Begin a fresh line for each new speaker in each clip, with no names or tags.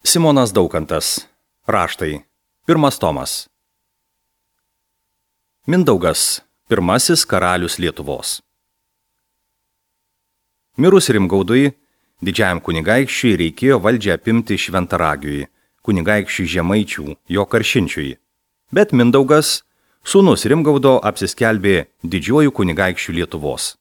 Simonas Daukantas. Raštai. 1 tomas. Mindaugas. Pirmasis karalius Lietuvos. Mirus Rimgaudui, didžiajam kunigaikščiui reikėjo valdžią apimti Šventaragiui, kunigaikščiui Žemaičių, jo karšinčiui. Bet Mindaugas, sūnus Rimgaudo, apsiskelbė didžiuoju kunigaikščiu Lietuvos.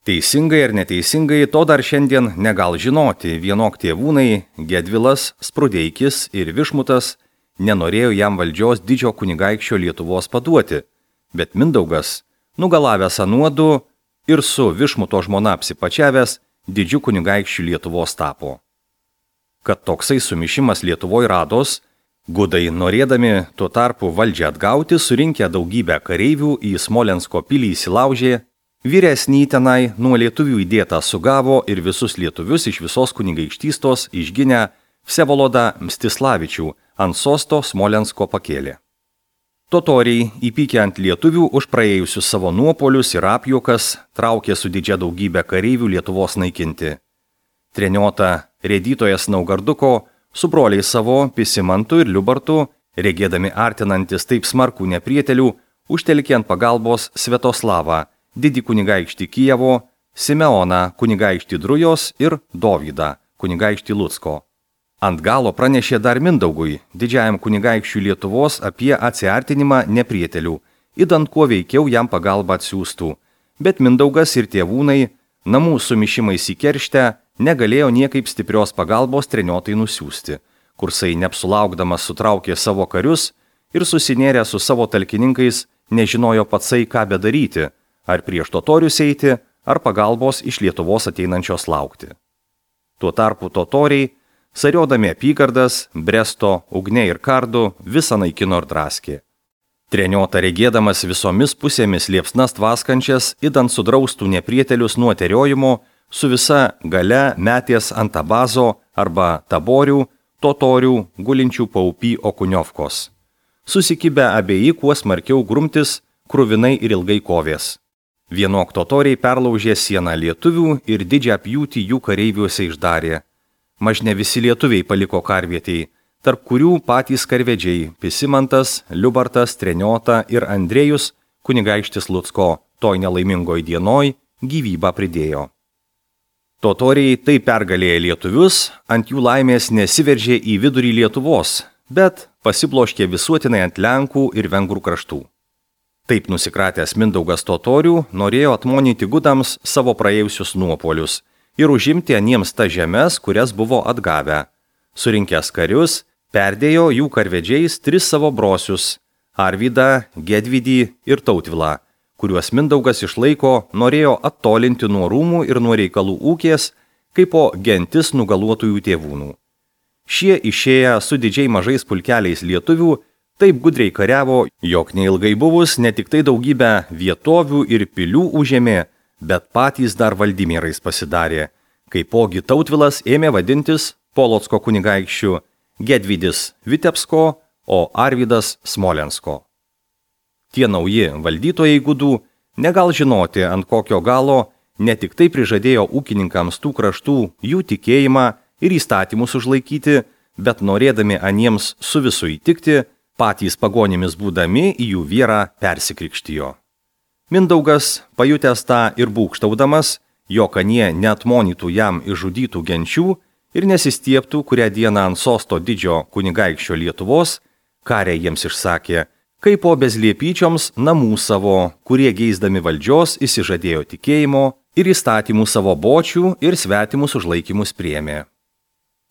Teisingai ar neteisingai, to dar šiandien negal žinoti, vienok tėvūnai Gedvilas, Sprudeikis ir Višmutas nenorėjo jam valdžios didžio kunigaikščio Lietuvos paduoti, bet Mindaugas, nugalavęs anuodu ir su Višmuto žmona apsipačiavęs, didžiu kunigaikščiu Lietuvos tapo. Kad toksai sumišimas Lietuvoje rados, gudai norėdami tuo tarpu valdžią atgauti, surinkę daugybę kareivių į Smolensko pilį įsilaužė, vyresnį tenai nuo lietuvių įdėtą sugavo ir visus lietuvius iš visos kunigaikštystos išginę Vsevolodą Mstislavičių ant sosto Smolensko pakėlė. Totoriai, įpykę ant lietuvių už praėjusius savo nuopolius ir apjuokas, traukė su didžia daugybė kareivių Lietuvos naikinti. Treniota rėdytojas Naugarduko su broliais savo Pisimantu ir Liubartu, regėdami artinantis taip smarkų neprietelių, užtelkė ant pagalbos Svetoslavą, didį kunigaikštį Kijevo, Simeoną, kunigaikštį Drujos ir Dovydą, kunigaikštį Lucko. Ant galo pranešė dar Mindaugui, didžiajam kunigaikščiui Lietuvos, apie atsiartinimą neprietelių, idant kuo veikiau jam pagalbą atsiųstų. Bet Mindaugas ir tėvūnai, namų sumišimais į kerštę, negalėjo niekaip stiprios pagalbos treniotai nusiųsti. Kursai neapsulaukdamas sutraukė savo karius ir susinėrė su savo talkininkais nežinojo patsai ką bedaryti, ar prieš totorius eiti, ar pagalbos iš Lietuvos ateinančios laukti. Tuo tarpu totoriai, sariodami apygardas, Bresto, Ugne ir Kardu, visą naikino ir draskė. Treniota regėdamas visomis pusėmis liepsnas tvaskančias, idant sudraustų neprietelius nuo teriojimo, su visa gale metės ant Tabazo arba Taborių, totorių, gulinčių paupy Okuniovkos. Susikibę abieji kuo smarkiau grumtis, kruvinai ir ilgai kovės. Vienok totoriai perlaužė sieną lietuvių ir didžią pjūtį jų kareiviuose išdarė. Mažne visi lietuviai paliko karvietei, tarp kurių patys karvedžiai Pisimantas, Liubartas, Treniota ir Andrėjus, kunigaikštis Lucko, toj nelaimingoj dienoj, gyvybę pridėjo. Totoriai taip pergalėję lietuvius, ant jų laimės nesiveržė į vidurį Lietuvos, bet pasibloškė visuotinai ant Lenkų ir Vengrų kraštų. Taip nusikratęs Mindaugas totorių norėjo atmonyti gudams savo praėjusius nuopolius ir užimti aniems tas žemes, kurias buvo atgavę. Surinkęs karius, perdėjo jų karvedžiais 3 savo brosius – Arvydą, Gedvidį ir Tautvilą, kuriuos Mindaugas išlaiko norėjo attolinti nuo rūmų ir nuo reikalų ūkės, kaip po gentis nugaluotųjų tėvūnų. Šie išėję su didžiai mažais pulkeliais lietuvių taip gudriai kariavo, jog neilgai buvus ne tik tai daugybę vietovių ir pilių užėmė, bet patys dar valdymierais pasidarė, kaipogi Tautvilas ėmė vadintis Polocko kunigaikščiu, Gedvidis Vitebsko, o Arvydas Smolensko. Tie nauji valdytojai gudų negal žinoti, ant kokio galo ne tik tai prižadėjo ūkininkams tų kraštų jų tikėjimą ir įstatymus užlaikyti, bet norėdami aniems su visu įtikti, patys pagonimis būdami į jų vyrą persikrikštijo. Mindaugas, pajutęs tą ir būgštaudamas, jog anie neatmonytų jam išžudytų genčių ir nesistieptų kurią dieną ant sosto didžio kunigaikščio Lietuvos, karė jiems išsakė, kaip po bezliepyčioms namų savo, kurie geisdami valdžios įsižadėjo tikėjimo ir įstatymų savo bočių ir svetimus užlaikymus priėmė.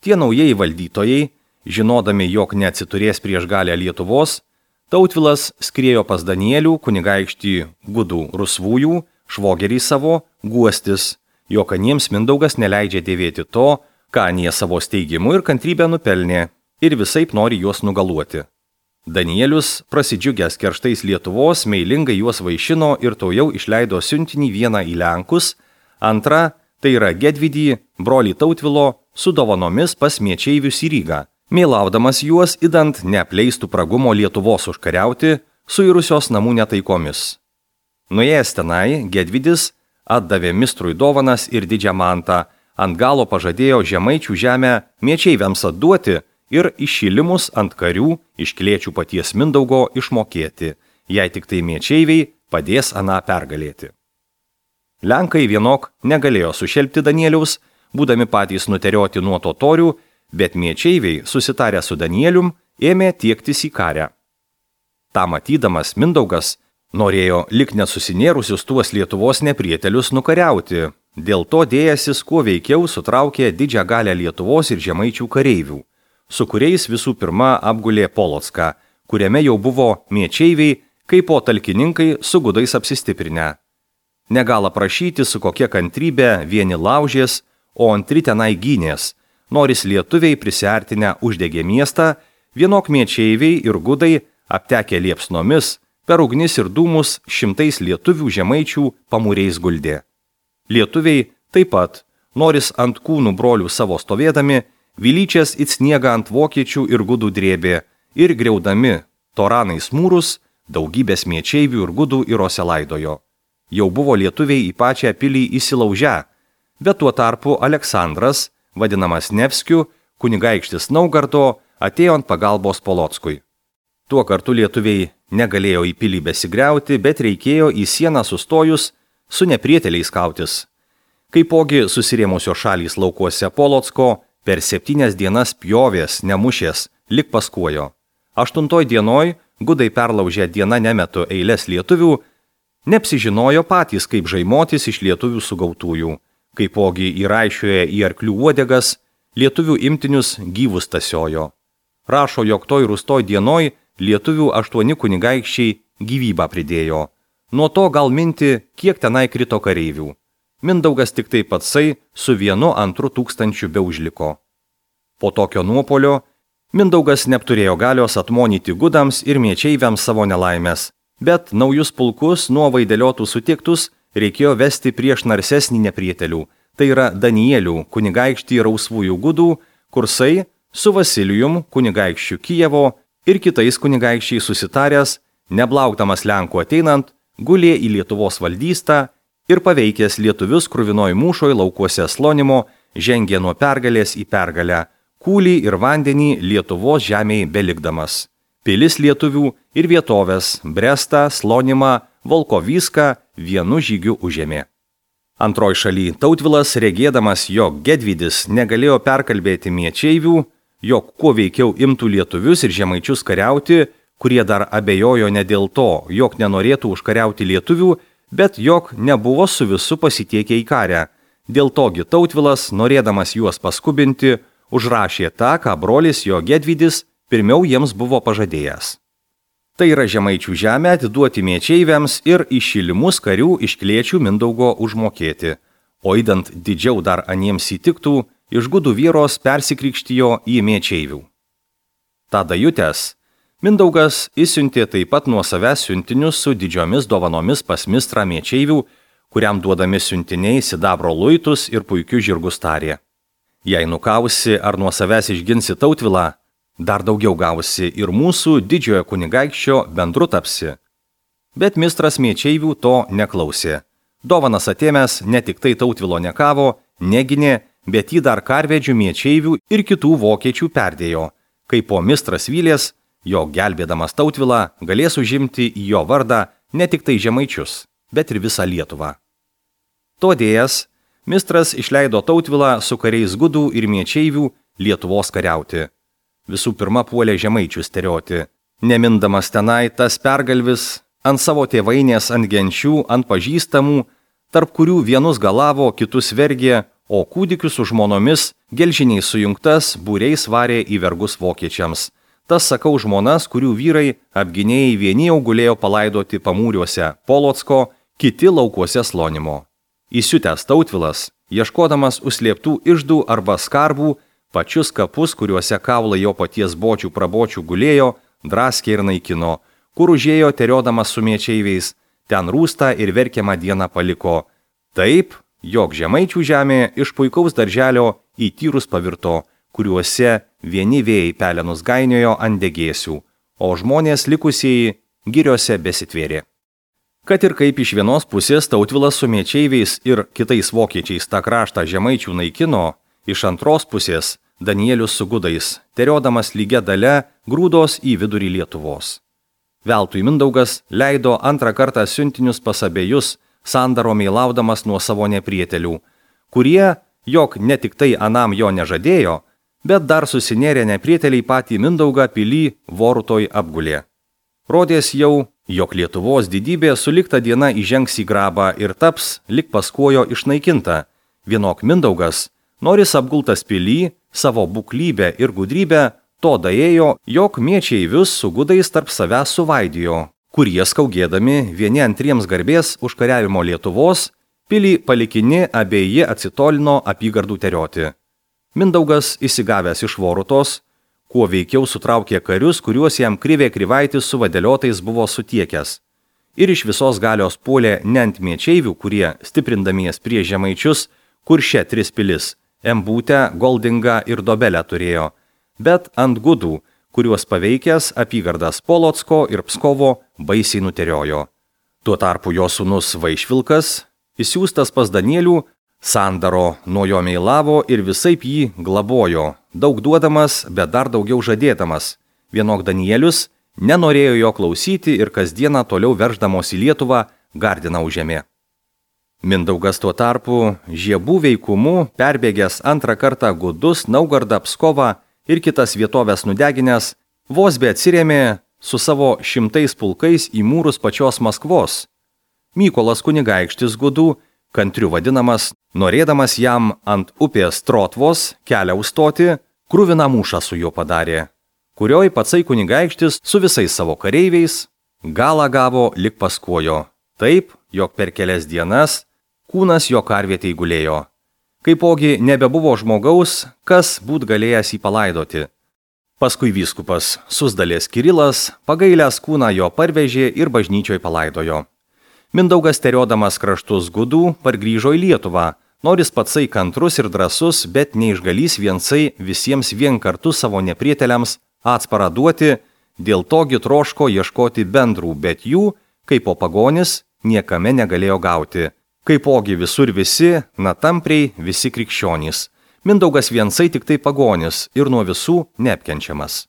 Tie naujieji valdytojai, žinodami, jog neatsiturės prieš galę Lietuvos, Tautvilas skriejo pas Danielių, kunigaikštį gudų rusvųjų, švogerį savo, guostis, jog aniems Mindaugas neleidžia dėvėti to, ką anie savo steigimu ir kantrybę nupelnė, ir visaip nori juos nugaluoti. Danielius, prasidžiugęs kerštais Lietuvos, meilingai juos vaišino ir taujau išleido siuntinį vieną į Lenkus, antrą, tai yra Gedvidį, brolį Tautvilo, su dovanomis pas Miečeivius į Rygą, mėlaudamas juos idant neapleistų pragumo Lietuvos užkariauti, suirusios namų netaikomis. Nuėjęs tenai, Gedvidis atdavė mistrui dovanas ir didžią mantą, ant galo pažadėjo Žemaičių žemę Miečeiviams atduoti ir iššilimus ant karių iškiliečių paties Mindaugo išmokėti, jei tik tai miečeiviai padės aną pergalėti. Lenkai vienok negalėjo sušelpti Danieliaus, būdami patys nuterioti nuo totorių, bet miečeiviai, susitarę su Danielium, ėmė tiektis į karę. Ta matydamas Mindaugas norėjo lik nesusinėrusius tuos Lietuvos neprietelius nukariauti, dėl to dėjęsis kuo veikiau sutraukė didžią galę Lietuvos ir žemaičių kareivių, su kuriais visų pirma apgulė Polocką, kuriame jau buvo miečeiviai, kaip po talkininkai su gudais apsistiprinę. Negala prašyti, su kokia kantrybė vieni laužės, o antri tenai gynės, noris lietuviai prisiartinę uždegė miestą, vienok miečeiviai ir gudai aptekę liepsnomis, per ugnis ir dūmus šimtais lietuvių žemaičių pamūriais guldė. Lietuviai taip pat, noris ant kūnų brolių savo stovėdami, vilyčias it sniegą ant vokiečių ir gudų drėbė ir griaudami toranais mūrus, daugybės miečeivių ir gudų įrose laidojo. Jau buvo lietuviai į pačią pilį įsilaužę, bet tuo tarpu Aleksandras, vadinamas Nevskiu, kunigaikštis Naugardo, atėjo ant pagalbos Polockui. Tuo kartu lietuviai negalėjo į pilį besigriauti, bet reikėjo į sieną sustojus su neprieteliais kautis. Kaipogi susirėmusios šalys laukuose Polocko per 7 dienas pjovės, nemušės, lik paskuojo. 8 dienoj gudai perlaužę dieną nemetu eilės lietuvių, neapsižinojo patys, kaip žaimotis iš lietuvių sugautųjų, kaipogi įraišioje į arklių uodegas, lietuvių imtinius gyvus tasiojo. Rašo, jog toj rūstoj dienoj lietuvių 8 kunigaikščiai gyvybą pridėjo. Nuo to gal minti, kiek tenai krito kareivių. Mindaugas tik tai patsai su 1-2 tūkstančių beužliko. Po tokio nuopolio Mindaugas neturėjo galios atmonyti gudams ir miečeiviams savo nelaimės, bet naujus pulkus nuo vaideliotų sutiktus reikėjo vesti prieš narsesnį neprietelių, tai yra Danielių kunigaikštį rausvųjų gudų, kursai su Vasilijum kunigaikščiu Kijevo ir kitais kunigaikščiais susitaręs, neblaukdamas Lenkų ateinant, gulė į Lietuvos valdystą ir paveikęs lietuvius kruvinoje mūšoje laukuose Slonimo, žengė nuo pergalės į pergalę, kūlį ir vandenį Lietuvos žemėje belikdamas. Pilis lietuvių ir vietovės Brestą, Slonimą, Volkovyską vienu žygiu užėmė. Antroj šaly Tautvilas, regėdamas, jog Gedvydis negalėjo perkalbėti miečeivių, jog kuo veikiau imtų lietuvius ir žemaičius kariauti, kurie dar abejojo ne dėl to, jog nenorėtų užkariauti lietuvių, bet jog nebuvo su visu pasitiekę į karę. Dėl togi Tautvilas, norėdamas juos paskubinti, užrašė tą, ką brolis jo Gedvydis pirmiau jiems buvo pažadėjęs. Tai yra žemaičių žemę atiduoti miečeiviams ir iššilimus karių iškiliečių Mindaugo užmokėti, o įdant didžiau dar aniems įtiktų, iš gudų vyros persikrikštijo į miečeivių. Tada jutęs, Mindaugas įsiuntė taip pat nuo savęs siuntinius su didžiomis dovanomis pas mistrą miečeivių, kuriam duodami siuntiniai sidabro luitus ir puikius žirgus tarė. Jei nukausi ar nuo savęs išginsi Tautvilą, dar daugiau gausi ir mūsų didžiojo kunigaikščio bendru tapsi. Bet mistras miečeivių to neklausė. Dovanas atėmęs ne tik tai Tautvilo nekavo, neginė, bet jį dar karvedžių miečeivių ir kitų vokiečių perdėjo, kai po mistras vylės, jog gelbėdamas Tautvilą galės užimti į jo vardą ne tik tai žemaičius, bet ir visą Lietuvą. Todėjas, mistras išleido Tautvilą su kariais gudų ir miečeivių Lietuvos kariauti. Visų pirma puolė žemaičius terioti. Nemindamas tenai tas pergalvis ant savo tėvainės, ant genčių, ant pažįstamų, tarp kurių vienus galavo, kitus vergė, o kūdikius su žmonomis gelžiniais sujungtas būriais varė į vergus vokiečiams. Tas sakau žmonas, kurių vyrai apginėjai vieni jau gulėjo palaidoti pamūriuose Polocko, kiti laukuose Slonimo. Įsiutęs Tautvilas, ieškodamas užslėptų iždų arba skarbų, pačius kapus, kuriuose kaulai jo paties bočių prabočių gulėjo, draskė ir naikino, kur užėjo teriodamas su miečeiviais, ten rūstą ir verkiamą dieną paliko. Taip, jog žemaičių žemė iš puikaus darželio į tyrus pavirto, kuriuose vieni vėjai pelenus gainiojo ant degėsių, o žmonės likusieji giriose besitvėrė. Kad ir kaip iš vienos pusės Tautvilas su miečeiviais ir kitais vokiečiais tą kraštą žemaičių naikino, iš antros pusės Danielius su gudais, teriodamas lygia dalia, grūdos į vidurį Lietuvos. Veltui Mindaugas leido antrą kartą siuntinius pas abejus, sandaro meilaudamas nuo savo neprietelių, kurie, jog ne tik tai anam jo nežadėjo, bet dar susinėrė neprieteliai patį Mindaugą pilį Vorutoj apgulė. Rodės jau, jog Lietuvos didybė sulikta diena įžengs į grabą ir taps lik paskojo išnaikinta. Vienok Mindaugas, noris apgultas pilį, savo buklybę ir gudrybę, to daėjo, jog miečeivius su gudais tarp savęs suvaidijo, kurie skaugėdami vieni antriems garbės užkariavimo Lietuvos, pilį palikini abieji atsitolino apygardų terioti. Mindaugas, įsigavęs iš Vorutos, kuo veikiau sutraukė karius, kuriuos jam Krivė Krivaitis su vadeliotais buvo sutiekęs. Ir iš visos galios puolė ne ant miečeivių, kurie, stiprindamies prie žemaičius, Kurše 3 pilis, Embūtę, Goldingą ir Dobelę turėjo, bet ant gudų, kuriuos paveikęs apygardas Polocko ir Pskovo baisiai nuteriojo. Tuo tarpu jo sūnus Vaišvilkas, įsiųstas pas Danielių, sandaro nuo jo meilavo ir visaip jį glabojo, daug duodamas, bet dar daugiau žadėdamas. Vienok Danielius nenorėjo jo klausyti ir kasdieną toliau verždamos į Lietuvą Gardiną užėmė. Mindaugas tuo tarpu žiebų veikumu perbėgęs antrą kartą gudus, Naugardą, Pskovą ir kitas vietovės nudeginęs, vos be atsirėmė su savo 100 pulkais į mūrus pačios Maskvos. Mykolas kunigaikštis gudų, kantriu vadinamas, norėdamas jam ant upės Trotvos kelią užstoti, kruviną mūšą su juo padarė, kurioj patsai kunigaikštis su visais savo kareiviais galą gavo lik paskojo, taip, jog per kelias dienas kūnas jo karvietei gulėjo. Kaipogi nebebuvo žmogaus, kas būt galėjęs jį palaidoti. Paskui vyskupas Suzdalės Kirilas, pagailęs kūną jo parvežė ir bažnyčioj palaidojo. Mindaugas teriodamas kraštus gudų pargrįžo į Lietuvą, noris patsai kantrus ir drąsus, bet neišgalys viensai visiems vien kartu savo neprieteliams atsparą duoti, dėl togi troško ieškoti bendrų, bet jų, kaip po pagonis, niekame negalėjo gauti. Kaipogi visur visi, na tampriai visi krikščionys. Mindaugas viensai tik tai pagonis ir nuo visų neapkenčiamas.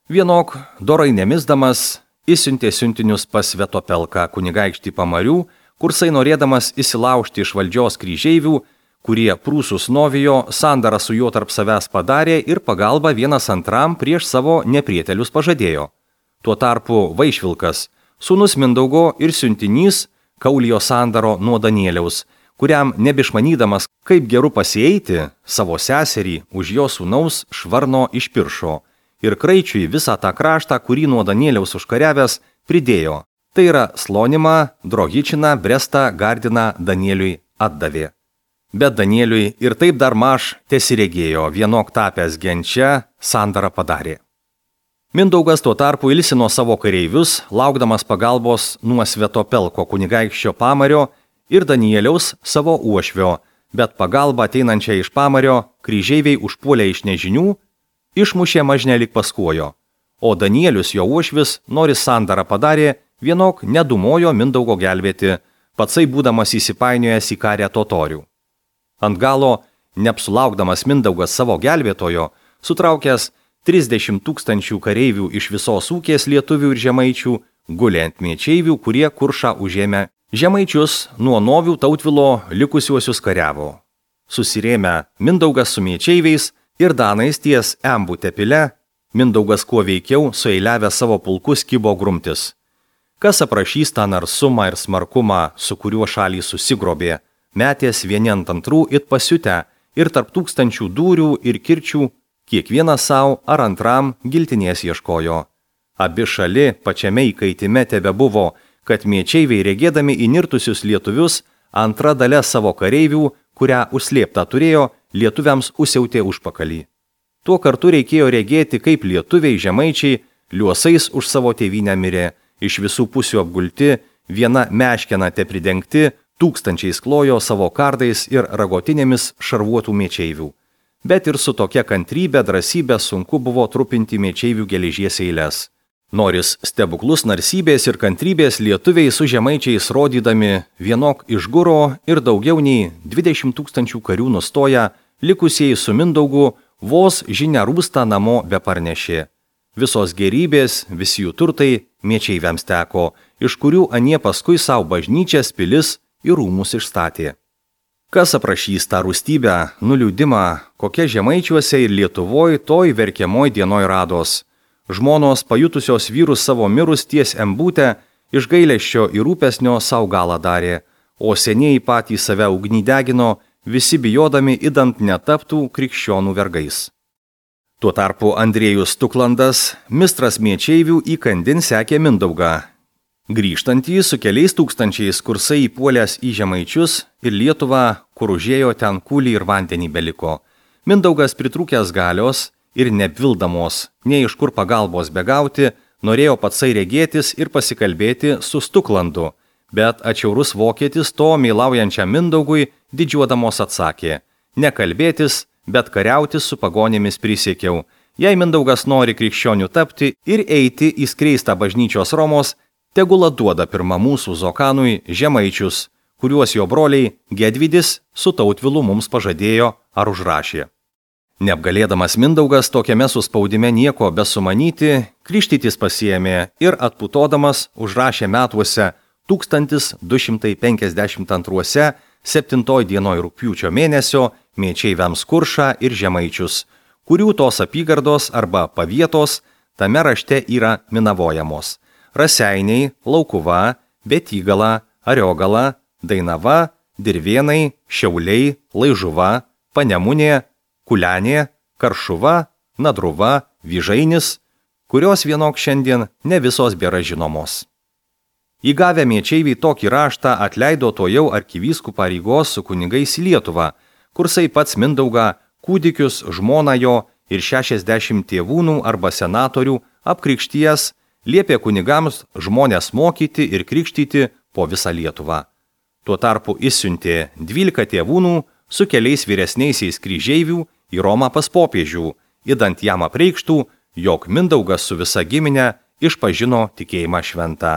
Vienok, dorai nemisdamas, įsiuntė siuntinius pas Svetopelką kunigaikštį Pamarių, kursai norėdamas įsilaužti iš valdžios kryžeivių, kurie prūsus novijo, sandarą su juo tarp savęs padarė ir pagalbą vienas antram prieš savo neprietelius pažadėjo. Tuo tarpu Vaišvilkas, sūnus Mindaugo ir siuntinys, Kaulijo sandaro nuo Danieliaus, kuriam nebišmanydamas, kaip geru pasieiti, savo seserį už jo sūnaus Švarno išpiršo ir Kraičiui visą tą kraštą, kurį nuo Danieliaus užkariavęs, pridėjo. Tai yra Slonimą, Drohičiną, Brestą, Gardiną Danieliui atdavė. Bet Danieliui ir taip dar maž tesiregėjo, vienok tapęs genčia, sandarą padarė. Mindaugas tuo tarpu ilsino savo kareivius, laukdamas pagalbos nuo Svetopelko kunigaikščio Pamario ir Danieliaus savo uošvio, bet pagalbą ateinančią iš Pamario kryžeiviai užpuolė iš nežinių, išmušė mažne lik paskojo, o Danielius jo uošvis, noris sandarą padarė, vienok nedumojo Mindaugo gelbėti, patsai būdamas įsipainiojęs į karę totorių. Ant galo, neapsulaukdamas Mindaugas savo gelbėtojo, sutraukęs 30 000 kareivių iš visos ūkės lietuvių ir žemaičių, gulė ant miečeivių, kurie Kuršą užėmė. Žemaičius nuo Novių Tautvilo likusiuosius kariavo. Susirėmę Mindaugas su miečeiviais ir danais ties Embūtę pile, Mindaugas kuo veikiau sueiliavę savo pulkus kibo grumtis. Kas aprašys tą narsumą ir smarkumą, su kuriuo šalį susigrobė, metės vieni ant antrų it pasiutę ir tarp tūkstančių dūrių ir kirčių, kiekvienas savo ar antram giltinės ieškojo. Abi šali pačiame įkaitime tebebuvo, kad miečeiviai regėdami įnirtusius lietuvius, antra dalia savo kareivių, kurią užslėptą turėjo, lietuviams užsiautė užpakalį. Tuo kartu reikėjo regėti, kaip lietuviai žemaičiai liuosais už savo tėvynę mirė, iš visų pusių apgulti, viena meškena te pridengti, tūkstančiais klojo savo kardais ir ragotinėmis šarvuotų miečeivių. Bet ir su tokia kantrybė, drąsybė sunku buvo trupinti miečeivių geležies eiles. Noris stebuklus narsybės ir kantrybės lietuviai su žemaičiais rodydami vienok išguro ir daugiau nei 20 000 karių nustoja, likusieji su Mindaugu vos žinia rūsta namo be parnešė. Visos gerybės, visi jų turtai miečeiviams teko, iš kurių anie paskui savo bažnyčias, pilis ir rūmus išstatė. Kas aprašys tą rūstybę, nuliūdimą, kokia Žemaičiuose ir Lietuvoj toj verkiamoj dienoj rados. Žmonos pajutusios vyrus savo mirus ties embūtę, iš gailesčio ir rūpesnio savo galą darė, o senieji patys save ugnį degino, visi bijodami idant netaptų krikščionų vergais. Tuo tarpu Andriejus Tuklandas, mistras miečeivių, įkandin sekė Mindaugą. Grįžtantį su keliais tūkstančiais kursai įpuolęs į Žemaičius ir Lietuvą, kur užėjo ten kūlį ir vandenį beliko. Mindaugas pritrūkęs galios ir neapvildamos, nei iš kur pagalbos begauti, norėjo patsai regėtis ir pasikalbėti su Tuklandu, bet atšiaurus vokietis to meilaujančiam Mindaugui didžiuodamos atsakė: nekalbėtis, bet kariautis su pagonėmis prisiekiau. Jei Mindaugas nori krikščionių tapti ir eiti į skleistą bažnyčios Romos, tegul duoda pirmą mūsų Zokanui Žemaičius, kuriuos jo broliai Gedvidis su Tautvilu mums pažadėjo ar užrašė. Neapgalėdamas Mindaugas tokiame suspaudime nieko besumanyti, krikštytis pasiėmė ir atputodamas užrašė metuose 1252 7 dienoj rugpjūčio mėnesio miečeiviams Kuršą ir Žemaičius, kurių tos apygardos arba pavietos tame rašte yra minavojamos: Raseiniai, Laukuva, Betygala, Ariogala, Dainava, Dirvėnai, Šiauliai, Laižuva, Panemunė, Kulenė, Karšuva, Nadruva, Vyžainis, kurios vienok šiandien ne visos bėra žinomos. Įgavę miečeiviai tokį raštą atleido to jau arkivyskų pareigos su kunigais į Lietuvą, kursai pats Mindaugą, kūdikius, žmoną jo ir 60 tėvūnų arba senatorių apkrikšties liepė kunigams žmonės mokyti ir krikštyti po visą Lietuvą. Tuo tarpu išsiuntė 12 tėvūnų su keliais vyresniaisiais kryžeivių į Romą pas popiežių, idant jam apreikštų, jog Mindaugas su visa giminė išpažino tikėjimą šventą,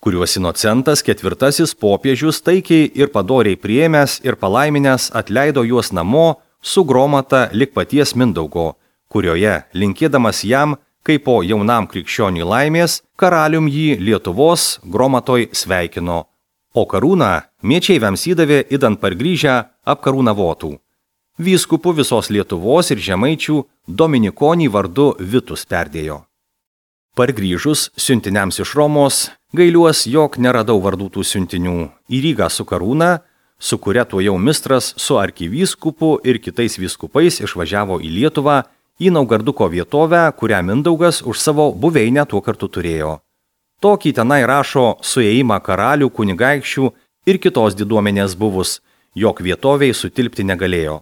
kuriuos Inocentas IV popiežius taikiai ir padoriai priėmęs ir palaiminęs atleido juos namo su gromata lik paties Mindaugo, kurioje, linkėdamas jam, kaip po jaunam krikščioniui laimės, karalium jį Lietuvos gromatoj sveikino, o karūną miečeiviams įdavė idant pargrįžę apkarūnavotų. Vyskupu visos Lietuvos ir Žemaičių Dominikonį vardu Vitus perdėjo. Pargrįžus siuntiniams iš Romos, gailiuos, jog neradau vardų tų siuntinių. Į Rygą su karūna, su kuria tuo jau mistras su arkivyskupu ir kitais vyskupais išvažiavo į Lietuvą, į Naugarduko vietovę, kurią Mindaugas už savo buveinę tuo kartu turėjo. Tokį tenai rašo suėjimą karalių, kunigaikščių ir kitos diduomenės buvus, jog vietoviai sutilpti negalėjo.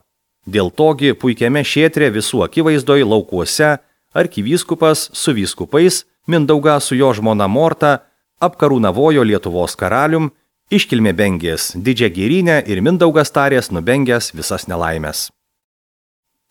Dėl togi puikiame šėtre visų akivaizdoj laukuose arkivyskupas su vyskupais Mindaugą su jo žmona Morta apkarūnavojo Lietuvos karalium, iškilmė bengės didžią gėrynę ir Mindaugas tarės nubengęs visas nelaimės.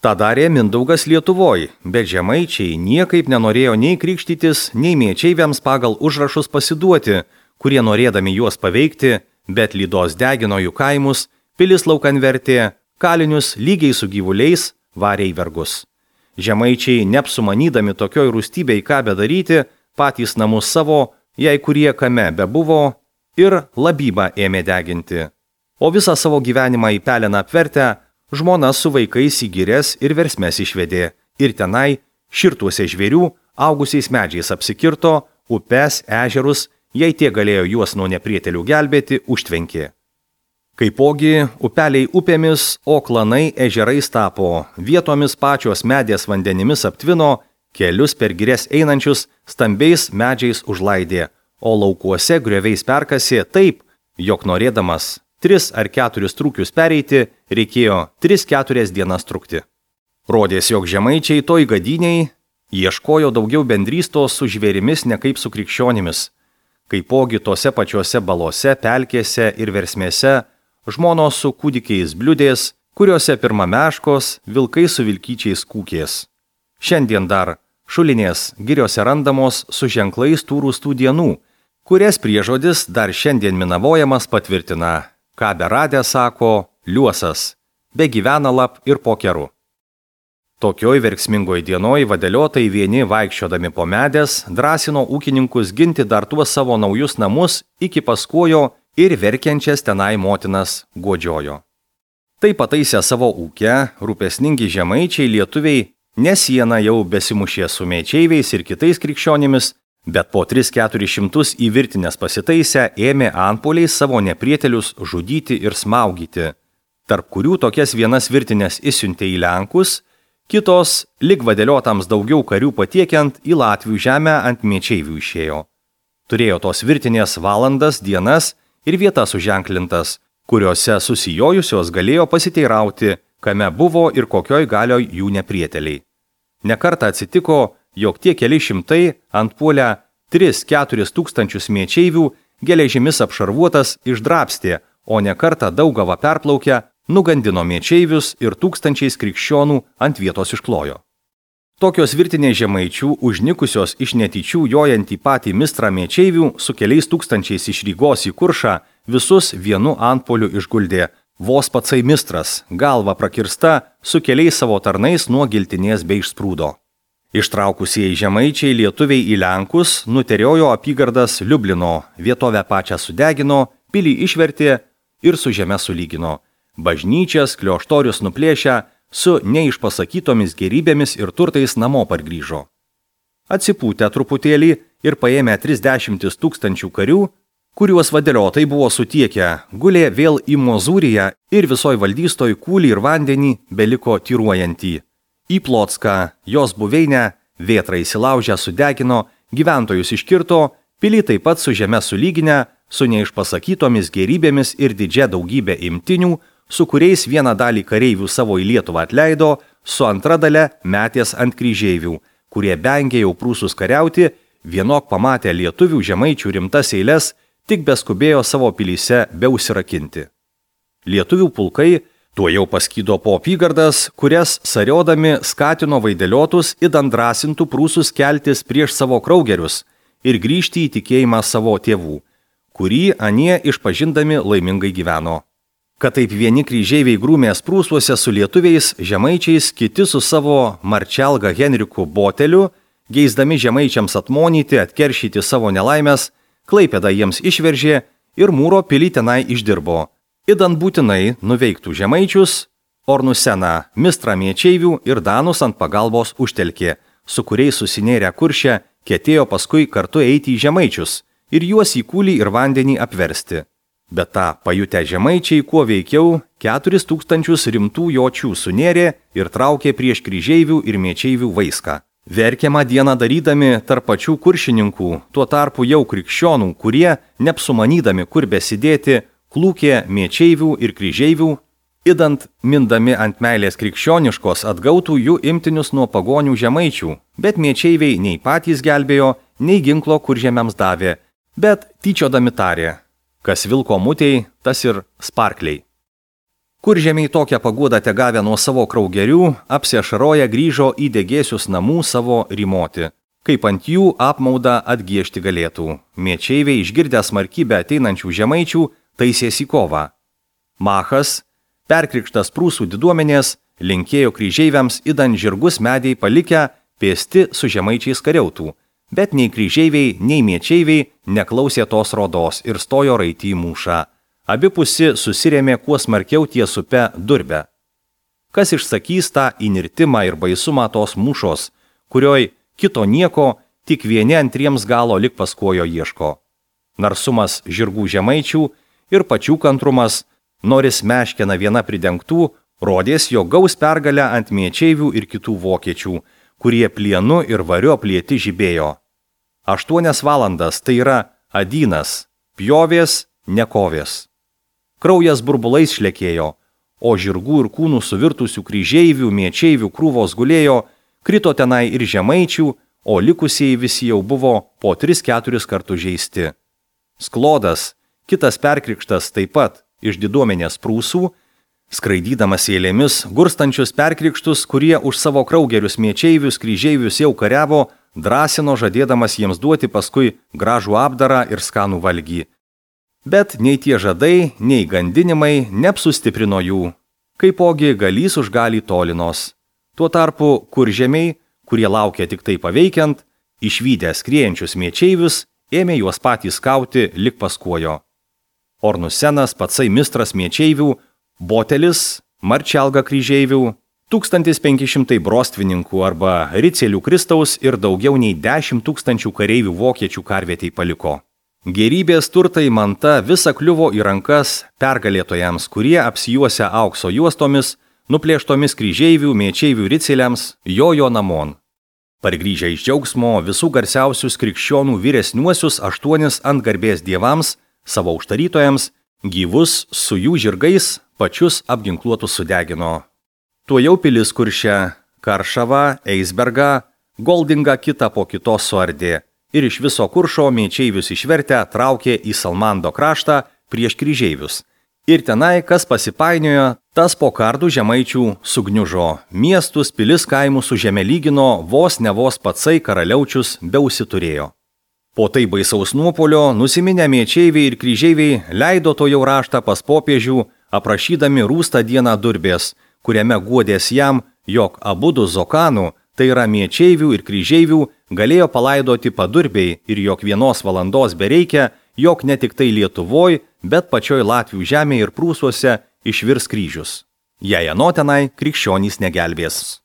Ta darė Mindaugas Lietuvoj, bet Žemaičiai niekaip nenorėjo nei krikštytis, nei miečeiviams pagal užrašus pasiduoti, kurie norėdami juos paveikti, bet lydos degino jų kaimus, pilis laukan vertė, kalinius lygiai su gyvuliais varė į vergus. Žemaičiai, neapsumanydami tokioj rūstybei ką bedaryti, patys namus savo, jei kurie kame bebuvo, ir labybą ėmė deginti. O visą savo gyvenimą į peleną apvertę, žmona su vaikais į girias ir versmes išvedė, ir tenai, širtuose žvėrių, augusiais medžiais apsikirto, upes, ežerus, jei tie galėjo juos nuo neprietelių gelbėti, užtvenkė. Kaipogi upeliai upėmis, o klanai ežerais tapo, vietomis pačios medės vandenimis aptvino, kelius per girias einančius stambiais medžiais užlaidė, o laukuose grioviais perkasė taip, jog norėdamas 3 ar 4 trūkius pereiti, reikėjo 3-4 dienas trukti. Rodės, jog Žemaičiai toj gadiniai ieškojo daugiau bendrystos su žvėrimis ne kaip su krikščionimis. Kaipogi tose pačiose balose, pelkėse ir versmėse žmonos su kūdikiais bliudės, kuriuose pirma meškos, vilkai su vilkyčiais kūkės. Šiandien dar šulinės giriose randamos su ženklais tų rūstų dienų, kurias priežodis dar šiandien minavojamas patvirtina, ką beradę sako liuosas, be gyvena lap ir po keru. Tokioj verksmingoj dienoj vadeliotai vieni vaikščiodami po medės drąsino ūkininkus ginti dar tuos savo naujus namus iki paskojo ir verkiančias tenai motinas guodžiojo. Tai pataisę savo ūkę, rūpesningi žemaičiai lietuviai ne sieną jau besimušė su mečeiviais ir kitais krikščionimis, bet po 3-400 į virtinės pasitaisę ėmė antpuoliais savo neprietelius žudyti ir smaugyti, tarp kurių tokias vienas virtinės įsiuntė į Lenkus, kitos, lig vadeliotams daugiau karių patiekiant, į Latvių žemę ant mečeivių išėjo. Turėjo tos virtinės valandas, dienas ir vietas suženklintas, kuriuose susijojusios galėjo pasiteirauti, kame buvo ir kokioj galioj jų neprieteliai. Nekartą atsitiko, jog tie keli šimtai antpuolę 3-4 tūkstančius mečeivių geležimis apšarvuotas išdrabstė, o nekartą Daugavą perplaukę nugandino mečeivius ir tūkstančiais krikščionų ant vietos išklojo. Tokios virtinės žemaičių, užnikusios iš netyčių jojant į patį mistrą mečeivių, su keliais tūkstančiais iš Rygos į Kuršą, visus vienu antpuoliu išguldė. Vos patsai mistras, galva prakirsta, su keliais savo tarnais nuo giltinės bei išsprūdo. Ištraukusieji žemaičiai lietuviai į Lenkus nuteriojo apygardas Liublino, vietovę pačią sudegino, pilį išvertė ir su žeme sulygino. Bažnyčias, klioštorius nuplėšę, su neišpasakytomis gerybėmis ir turtais namo pargrįžo. Atsipūtę truputėlį ir paėmę 30 000 karių, kuriuos vadeliotai buvo sutiekę, gulė vėl į Mozūriją ir visoj valdystoj kūlį ir vandenį beliko tyruojantį. Į Plotską, jos buveinę, vėtrą įsilaužę sudegino, gyventojus iškirto, pilį taip pat su žeme sulyginę, su neišpasakytomis gerybėmis ir didžia daugybė imtinių, su kuriais vieną dalį kareivių savo į Lietuvą atleido, su antra dale metės ant kryžeivių, kurie bengė jau prūsus kariauti, vienok pamatę lietuvių žemaičių rimtas eiles, tik beskubėjo savo pilyse beusirakinti. Lietuvių pulkai tuo jau paskydo po apygardas, kurias sariodami skatino vaideliotus įdant drąsintų prūsus keltis prieš savo kraugerius ir grįžti į tikėjimą savo tėvų, kurį anie išpažindami laimingai gyveno. Kad taip vieni kryžeiviai grūmės prūsuose su lietuviais, žemaičiais, kiti su savo marčelga Henriku Boteliu, geisdami žemaičiams atmonyti, atkeršyti savo nelaimės, Klaipėdą jiems išveržė ir mūro pilį tenai išdirbo. Įdant būtinai nuveiktų žemaičius, Ornuseną, mistrą mečeivių ir danus ant pagalbos užtelkė, su kuriais susinėrę Kurše, ketėjo paskui kartu eiti į žemaičius ir juos į kūlį ir vandenį apversti. Bet tą pajutę žemaičiai kuo veikiau 4000 rimtų jočių sunėrė ir traukė prieš kryžeivių ir mečeivių vaiską. Verkiamą dieną darydami tarp pačių kuršininkų, tuo tarpu jau krikščionų, kurie, neapsumanydami kur besidėti, klūkė mečeivių ir kryžeivių, įdant mindami ant meilės krikščioniškos atgautų jų imtinius nuo pagonių žemaičių, bet mečeiviai nei patys gelbėjo, nei ginklo kuržemiams davė, bet tyčiodami tarė. Kas vilko mutei, tas ir sparkliai. Kuržemiai tokią paguodą tegavę nuo savo kraugerių, apsiašaroję grįžo į degėsius namų savo rymoti, kaip ant jų apmaudą atgiešti galėtų. Mečeiviai išgirdę smarkybę ateinančių žemaičių, taisėsi kovą. Machas, perkrikštas prūsų diduomenės, linkėjo kryžeiviams įdant žirgus mediai palikę, pėsti su žemaičiais kariautų. Bet nei kryžeiviai, nei mečeiviai neklausė tos rodos ir stojo raitį į mūšą. Abipusi susirėmė kuo smarkiau ties upe Durbę. Kas išsakys tą įnirtimą ir baisumą tos mūšos, kurioj kito nieko, tik vieni antriems galo lik paskojo ieško. Narsumas žirgų žemaičių ir pačių kantrumas, noris meškena viena pridengtų, rodės, jog gaus pergalę ant mečeivių ir kitų vokiečių, kurie plienu ir variu aplieti žibėjo. 8 valandas tai yra adynas, pjovės, nekovės. Kraujas burbulais šlekėjo, o žirgų ir kūnų suvirtusių kryžeivių, mečeivių krūvos gulėjo, krito tenai ir žemaičių, o likusieji visi jau buvo po 3-4 kartus žeisti. Sklodas, kitas perkrikštas taip pat iš diduomenės prūsų, skraidydamas eilėmis gurstančius perkrikštus, kurie už savo kraugerius mečeivius, kryžeivius jau kariavo, drąsino žadėdamas jiems duoti paskui gražų apdarą ir skanų valgį. Bet nei tie žadai, nei gandinimai neapsustiprino jų, kaipogi galys už galį tolinos. Tuo tarpu kuržemiai, kurie laukia tik tai paveikiant, išvydę skriejančius miečeivius, ėmė juos patys kauti lik paskuojo. Ornusenas, patsai mistras miečeivių, Botelis, Marčelga kryžeivių, 1500 brostvininkų arba ricelių Kristaus ir daugiau nei 10 000 kareivių vokiečių karvietei paliko. Gėrybės turtai manta visa kliuvo į rankas pergalėtojams, kurie apsijuosia aukso juostomis, nuplėštomis kryžeivių, miečeivių riceliams, jojo namon. Pargrįžę iš džiaugsmo visų garsiausius krikščionų vyresniuosius 8 ant garbės dievams, savo užtarytojams, gyvus su jų žirgais, pačius apginkluotus sudegino. Tuojau pilis Kuršę, Karšavą, Eisbergą, Goldingą kitą po kitos suardė ir iš viso Kuršo miečeivius išvertę traukė į Salmando kraštą prieš kryžeivius. Ir tenai, kas pasipainiojo, tas po kardų žemaičių sugniužo, miestus, pilis kaimų su žeme lygino, vos ne vos patsai karaliaučius beausiturėjo. Po tai baisaus nuopolio nusiminę miečeiviai ir kryžeiviai leido to jau raštą pas popiežių, aprašydami rūstą dieną Durbės, kuriame guodės jam, jog abudu Zokanų, tai yra miečeivių ir kryžeivių, galėjo palaidoti Padurbiai ir jog 1 valandos bereikia, jog ne tik tai Lietuvoj, bet pačioj Latvių žemėje ir Prūsuose išvirs kryžius. Jei ano tenai krikščionys negelbės.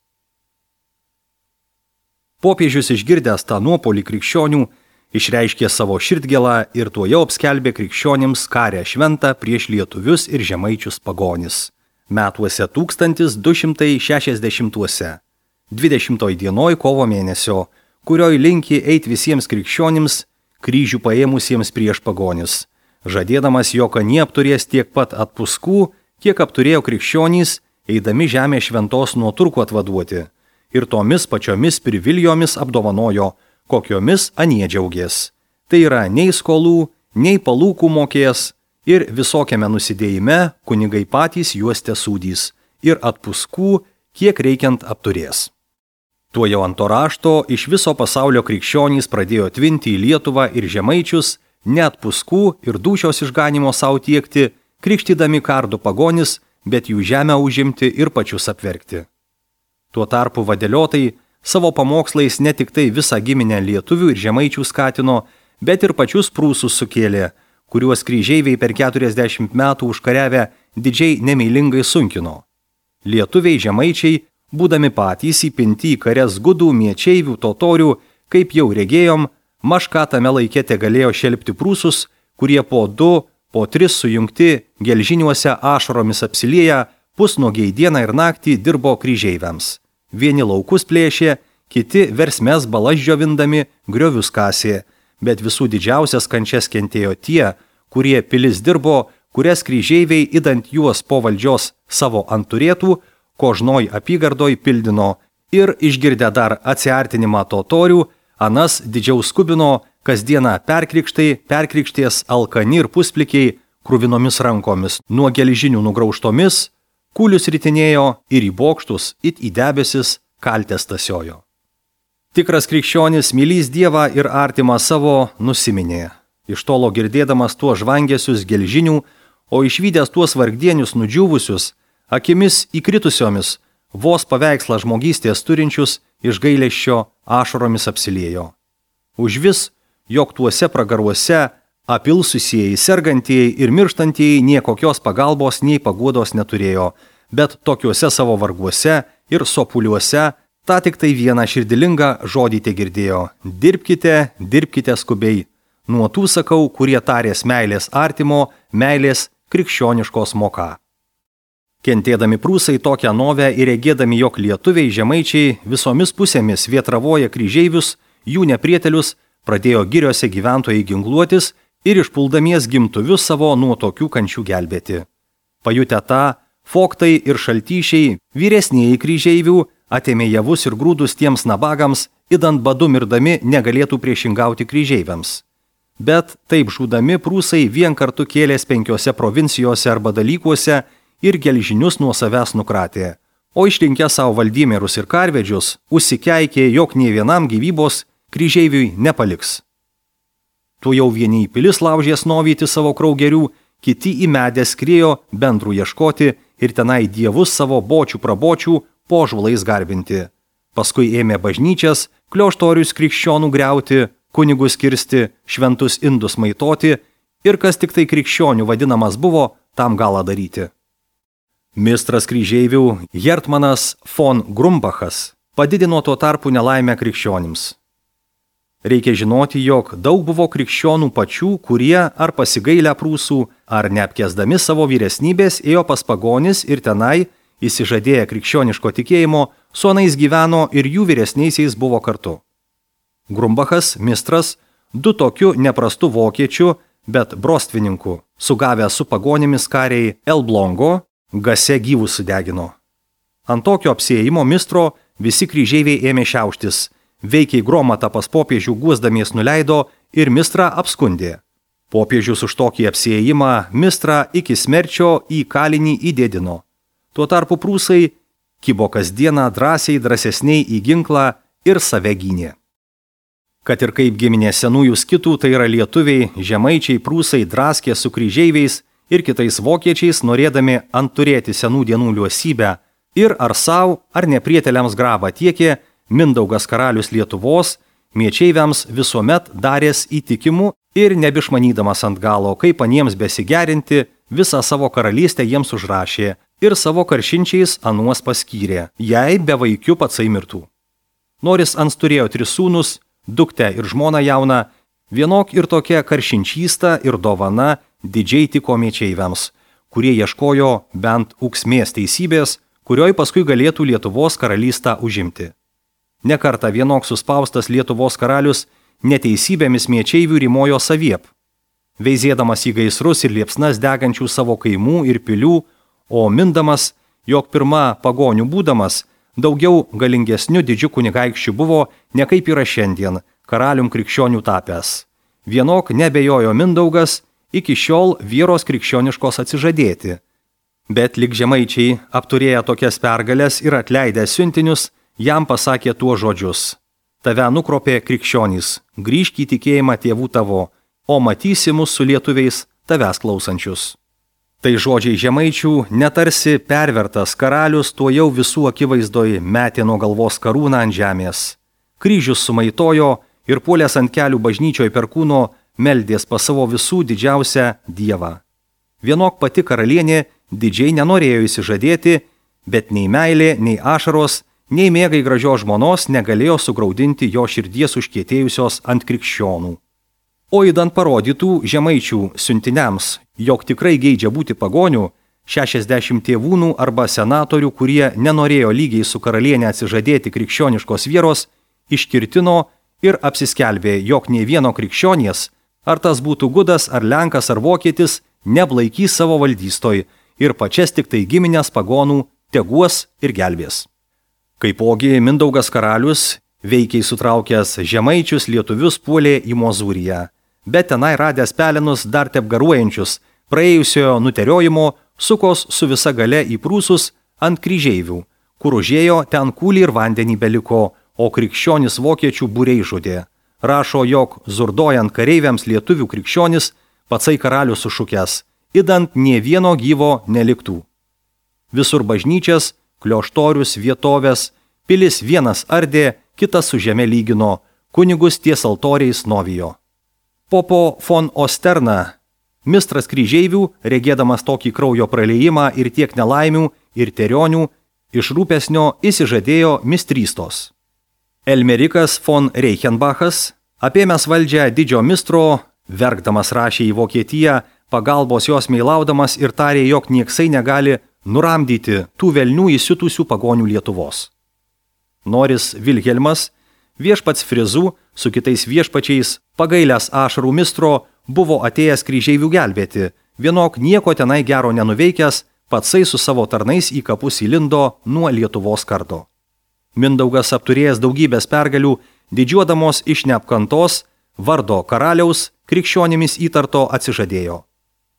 Popiežius išgirdęs tą nuopolį krikščionių, išreiškė savo širdgėlą ir tuojau apskelbė krikščionims karę šventą prieš lietuvius ir žemaičius pagonis. Metuose 1260, 20 dienoj kovo mėnesio, kurioj linki eit visiems krikščionims, kryžių paėmusiems prieš pagonis, žadėdamas, jog anie apturės tiek pat atpuskų, kiek apturėjo krikščionys, eidami žemę šventos nuo turkų atvaduoti, ir tomis pačiomis priviljomis apdovanojo, kokiomis anie džiaugės. Tai yra nei skolų, nei palūkų mokės, ir visokiame nusidėjime kunigai patys juos tesūdys ir atpuskų, kiek reikiant apturės. Tuo jau ant to rašto iš viso pasaulio krikščionys pradėjo tvinti į Lietuvą ir žemaičius, net puskų ir dūšios išganimo savo tiekti, krikštydami kardų pagonis, bet jų žemę užimti ir pačius apverkti. Tuo tarpu vadeliotai savo pamokslais ne tik tai visą giminę lietuvių ir žemaičių skatino, bet ir pačius prūsus sukėlė, kuriuos kryžeiviai per 40 metų užkariavę didžiai nemeilingai sunkino. Lietuviai žemaičiai, būdami patys įpinti į kares gudų, miečeivių, totorių, kaip jau regėjom, mažką tame laike te galėjo šelpti prūsus, kurie po 2, po 3 sujungti gelžiniuose ašaromis apsilieję, pusnuogiai dieną ir naktį dirbo kryžeiviams. Vieni laukus plėšė, kiti versmes balas džiovindami griovius kasė, bet visų didžiausias kančias kentėjo tie, kurie pilis dirbo, kurias kryžeiviai įdant juos po valdžios savo ant turėtų, kožnoj apygardoj pildino ir išgirdę dar atsiartinimą totorių, anas didžiau skubino, kasdieną perkrikšties alkani ir pusplikiai, kruvinomis rankomis, nuo gelžinių nugraužtomis, kūlius ritinėjo ir į bokštus, it į debesis kaltės tasiojo. Tikras krikščionis mylys Dievą ir artimą savo nusiminė. Iš tolo girdėdamas tuos žvangesius gelžinių, o išvydęs tuos vargdienius nudžiūvusius, akimis įkritusiomis, vos paveikslą žmogystės turinčius iš gailesčio ašaromis apsiliejo. Užvis, jog tuose pragaruose apilsusieji, sergantieji ir mirštantieji niekokios pagalbos nei paguodos neturėjo, bet tokiuose savo varguose ir sopuliuose tą tik tai vieną širdilingą žodį te girdėjo: dirbkite, dirbkite skubiai. Nuo tų sakau, kurie tarės meilės artimo, meilės krikščioniškos moka. Kentėdami prūsai tokią novę ir regėdami, jog lietuviai žemaičiai visomis pusėmis vietravoja kryžeivius, jų neprietelius, pradėjo giriose gyventojai ginkluotis ir išpuldamies gimtuvius savo nuo tokių kančių gelbėti. Pajutę tą, foktai ir šaltyšiai, vyresnieji kryžeivių, atėmė javus ir grūdus tiems nabagams, idant badu mirdami negalėtų priešingauti kryžeiviams. Bet taip žūdami prūsai vien kartu kėlės 5 provincijose arba dalykuose ir gelžinius nuo savęs nukratė, o išrinkę savo valdymerus ir karvedžius, užsikeikė, jog nė vienam gyvybos kryžeiviui nepaliks. Tu jau vieni į pilis laužės novyti savo kraugerių, kiti į medę skriejo bendrų ieškoti ir tenai dievus savo bočių prabočių, po žulais garbinti. Paskui ėmė bažnyčias, klioštorius krikščionų griauti, kunigus kirsti, šventus indus maitoti ir kas tik tai krikščionių vadinamas buvo, tam galą daryti. Mistras kryžeivių Hertmanas von Grumbachas padidino tuo tarpu nelaimę krikščionims. Reikia žinoti, jog daug buvo krikščionų pačių, kurie ar pasigailę prūsų, ar neapkesdami savo vyresnybės ėjo pas pagonis ir tenai, įsižadėję krikščioniško tikėjimo, su anais gyveno ir jų vyresniaisiais buvo kartu. Grumbachas, mistras, du tokiu neprastu vokiečiu, bet brostvininku, sugavę su pagonimis kariai Elblongo, gase gyvus sudegino. Ant tokio apsiėjimo mistro visi kryžeiviai ėmė šiauštis, veikiai gromatą pas popiežių guosdamies nuleido ir mistrą apskundė. Popiežius už tokį apsiėjimą mistrą iki smerčio į kalinį įdėdino. Tuo tarpu prūsai kibo kasdieną drąsesniai į ginklą ir save gynė. Kad ir kaip giminė senųjų skitų, tai yra lietuviai, žemaičiai, prūsai draskė su kryžeiviais ir kitais vokiečiais, norėdami antturėti senų dienų liuosybę ir ar savo, ar neprieteliams grabą tiekė, Mindaugas karalius Lietuvos miečeiviams visuomet daręs įtikimų ir nebišmanydamas ant galo, kaip aniems besigerinti, visą savo karalystę jiems užrašė ir savo karšinčiais anuos paskyrė, jei be vaikių patsai mirtų. Noris ans turėjo 3 sūnus, duktę ir žmoną jauną, vienok ir tokia karšinčysta ir dovana didžiai tiko miečeiviams, kurie ieškojo bent ūksmės teisybės, kurioj paskui galėtų Lietuvos karalystę užimti. Nekartą vienok suspaustas Lietuvos karalius neteisybėmis miečeivių rimojo saviep, veizėdamas į gaisrus ir liepsnas degančių savo kaimų ir pilių, o mindamas, jog pirma pagonių būdamas, daugiau galingesniu didžiu kunigaikščiu buvo, ne kaip yra šiandien, karalium krikščionių tapęs. Vienok nebejojo Mindaugas iki šiol vieros krikščioniškos atsižadėti. Bet lik žemaičiai, apturėję tokias pergalės ir atleidę siuntinius, jam pasakė tuo žodžius: tave nukropė krikščionys, grįžk į tikėjimą tėvų tavo, o matysi mus su lietuviais tavęs klausančius. Tai žodžiai žemaičių, netarsi pervertas karalius tuo jau visų akivaizdoj metė nuo galvos karūną ant žemės. Kryžius sumaitojo ir puolęs ant kelių bažnyčioj per kūno meldės pas savo visų didžiausią dievą. Vienok pati karalienė didžiai nenorėjo įsižadėti, bet nei meilė, nei ašaros, nei mėgai gražios žmonos negalėjo sugraudinti jo širdies užkietėjusios ant krikščionų. O įdant parodytų žemaičių siuntiniams, jog tikrai geidžia būti pagonių, 60 tėvūnų arba senatorių, kurie nenorėjo lygiai su karalienė atsižadėti krikščioniškos vieros, iškirtino ir apsiskelbė, jog nei vieno krikščionies, ar tas būtų gudas, ar lenkas, ar vokietis, neblaikys savo valdystoj ir pačias tik tai giminės pagonų teguos ir gelbės. Kaipogi Mindaugas karalius, veikiai sutraukęs žemaičius lietuvius, puolė į Mozūriją, bet tenai radęs pelenus dar tepgaruojančius, praėjusiojo nuteriojimo, sukos su visa gale į prūsus ant kryžeivių, kur užėjo ten kūlį ir vandenį beliko, o krikščionis vokiečių būriai žudė. Rašo, jog zurdojant kareiviams lietuvių krikščionis, patsai karalius sušukęs, idant nė vieno gyvo neliktų. Visur bažnyčias, klioštorius, vietovės, pilis vienas ardė, kitas su žeme lygino, kunigus ties altoriais novijo. Popo von Osterna, mistras kryžeivių, regėdamas tokį kraujo praliejimą ir tiek nelaimių ir terionių, iš rūpesnio įsižadėjo mistrystos. Elmerikas von Reichenbachas, apėmęs valdžią didžio mistro, verkdamas rašė į Vokietiją, pagalbos jos meilaudamas ir tarė, jog nieksai negali nuramdyti tų velnių įsiutusių pagonių Lietuvos. Noris Vilhelmas, viešpats Frizų, su kitais viešpačiais, pagailęs ašarų mistro, buvo atėjęs kryžeivių gelbėti, vienok nieko tenai gero nenuveikęs, patsai su savo tarnais į kapus įlindo nuo Lietuvos kardo. Mindaugas, apturėjęs daugybės pergalių, didžiuodamos iš neapkantos, vardo karaliaus, krikščionimis įtarto atsižadėjo.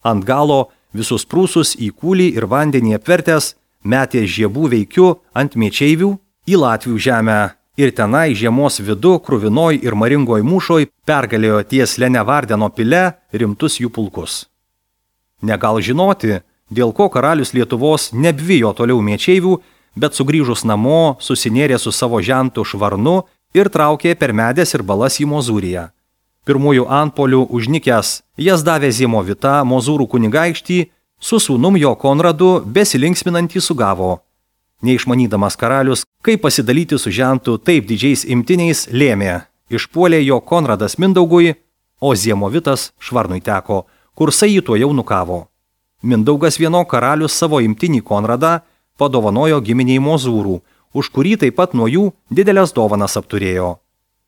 Ant galo visus prūsus į kūlį ir vandenį apvertęs, metė žiebų veikiu ant miečeivių į Latvių žemę ir tenai žiemos vidu, kruvinoj ir maringoj mūšoj pergalėjo ties Lenevardeno pile rimtus jų pulkus. Negal žinoti, dėl ko karalius Lietuvos nebijo toliau miečeivių, bet sugrįžus namo susinėrė su savo žentu Švarnu ir traukė per Medės ir Balas į Mozūriją. Pirmųjų antpolių užnikęs jas davė Ziemovitą, Mozūrų kunigaikštį, su sūnum jo Konradu besilinksminantį sugavo. Neišmanydamas karalius, kaip pasidalyti su žentu taip didžiais imtiniais, lėmė. Išpuolė jo Konradas Mindaugui, o Ziemovitas Švarnui teko, kursai jį tuojau nukavo. Mindaugas vieno karalius savo imtinį Konradą padovanojo giminiai Mozūrų, už kurį taip pat nuo jų didelės dovanas apturėjo.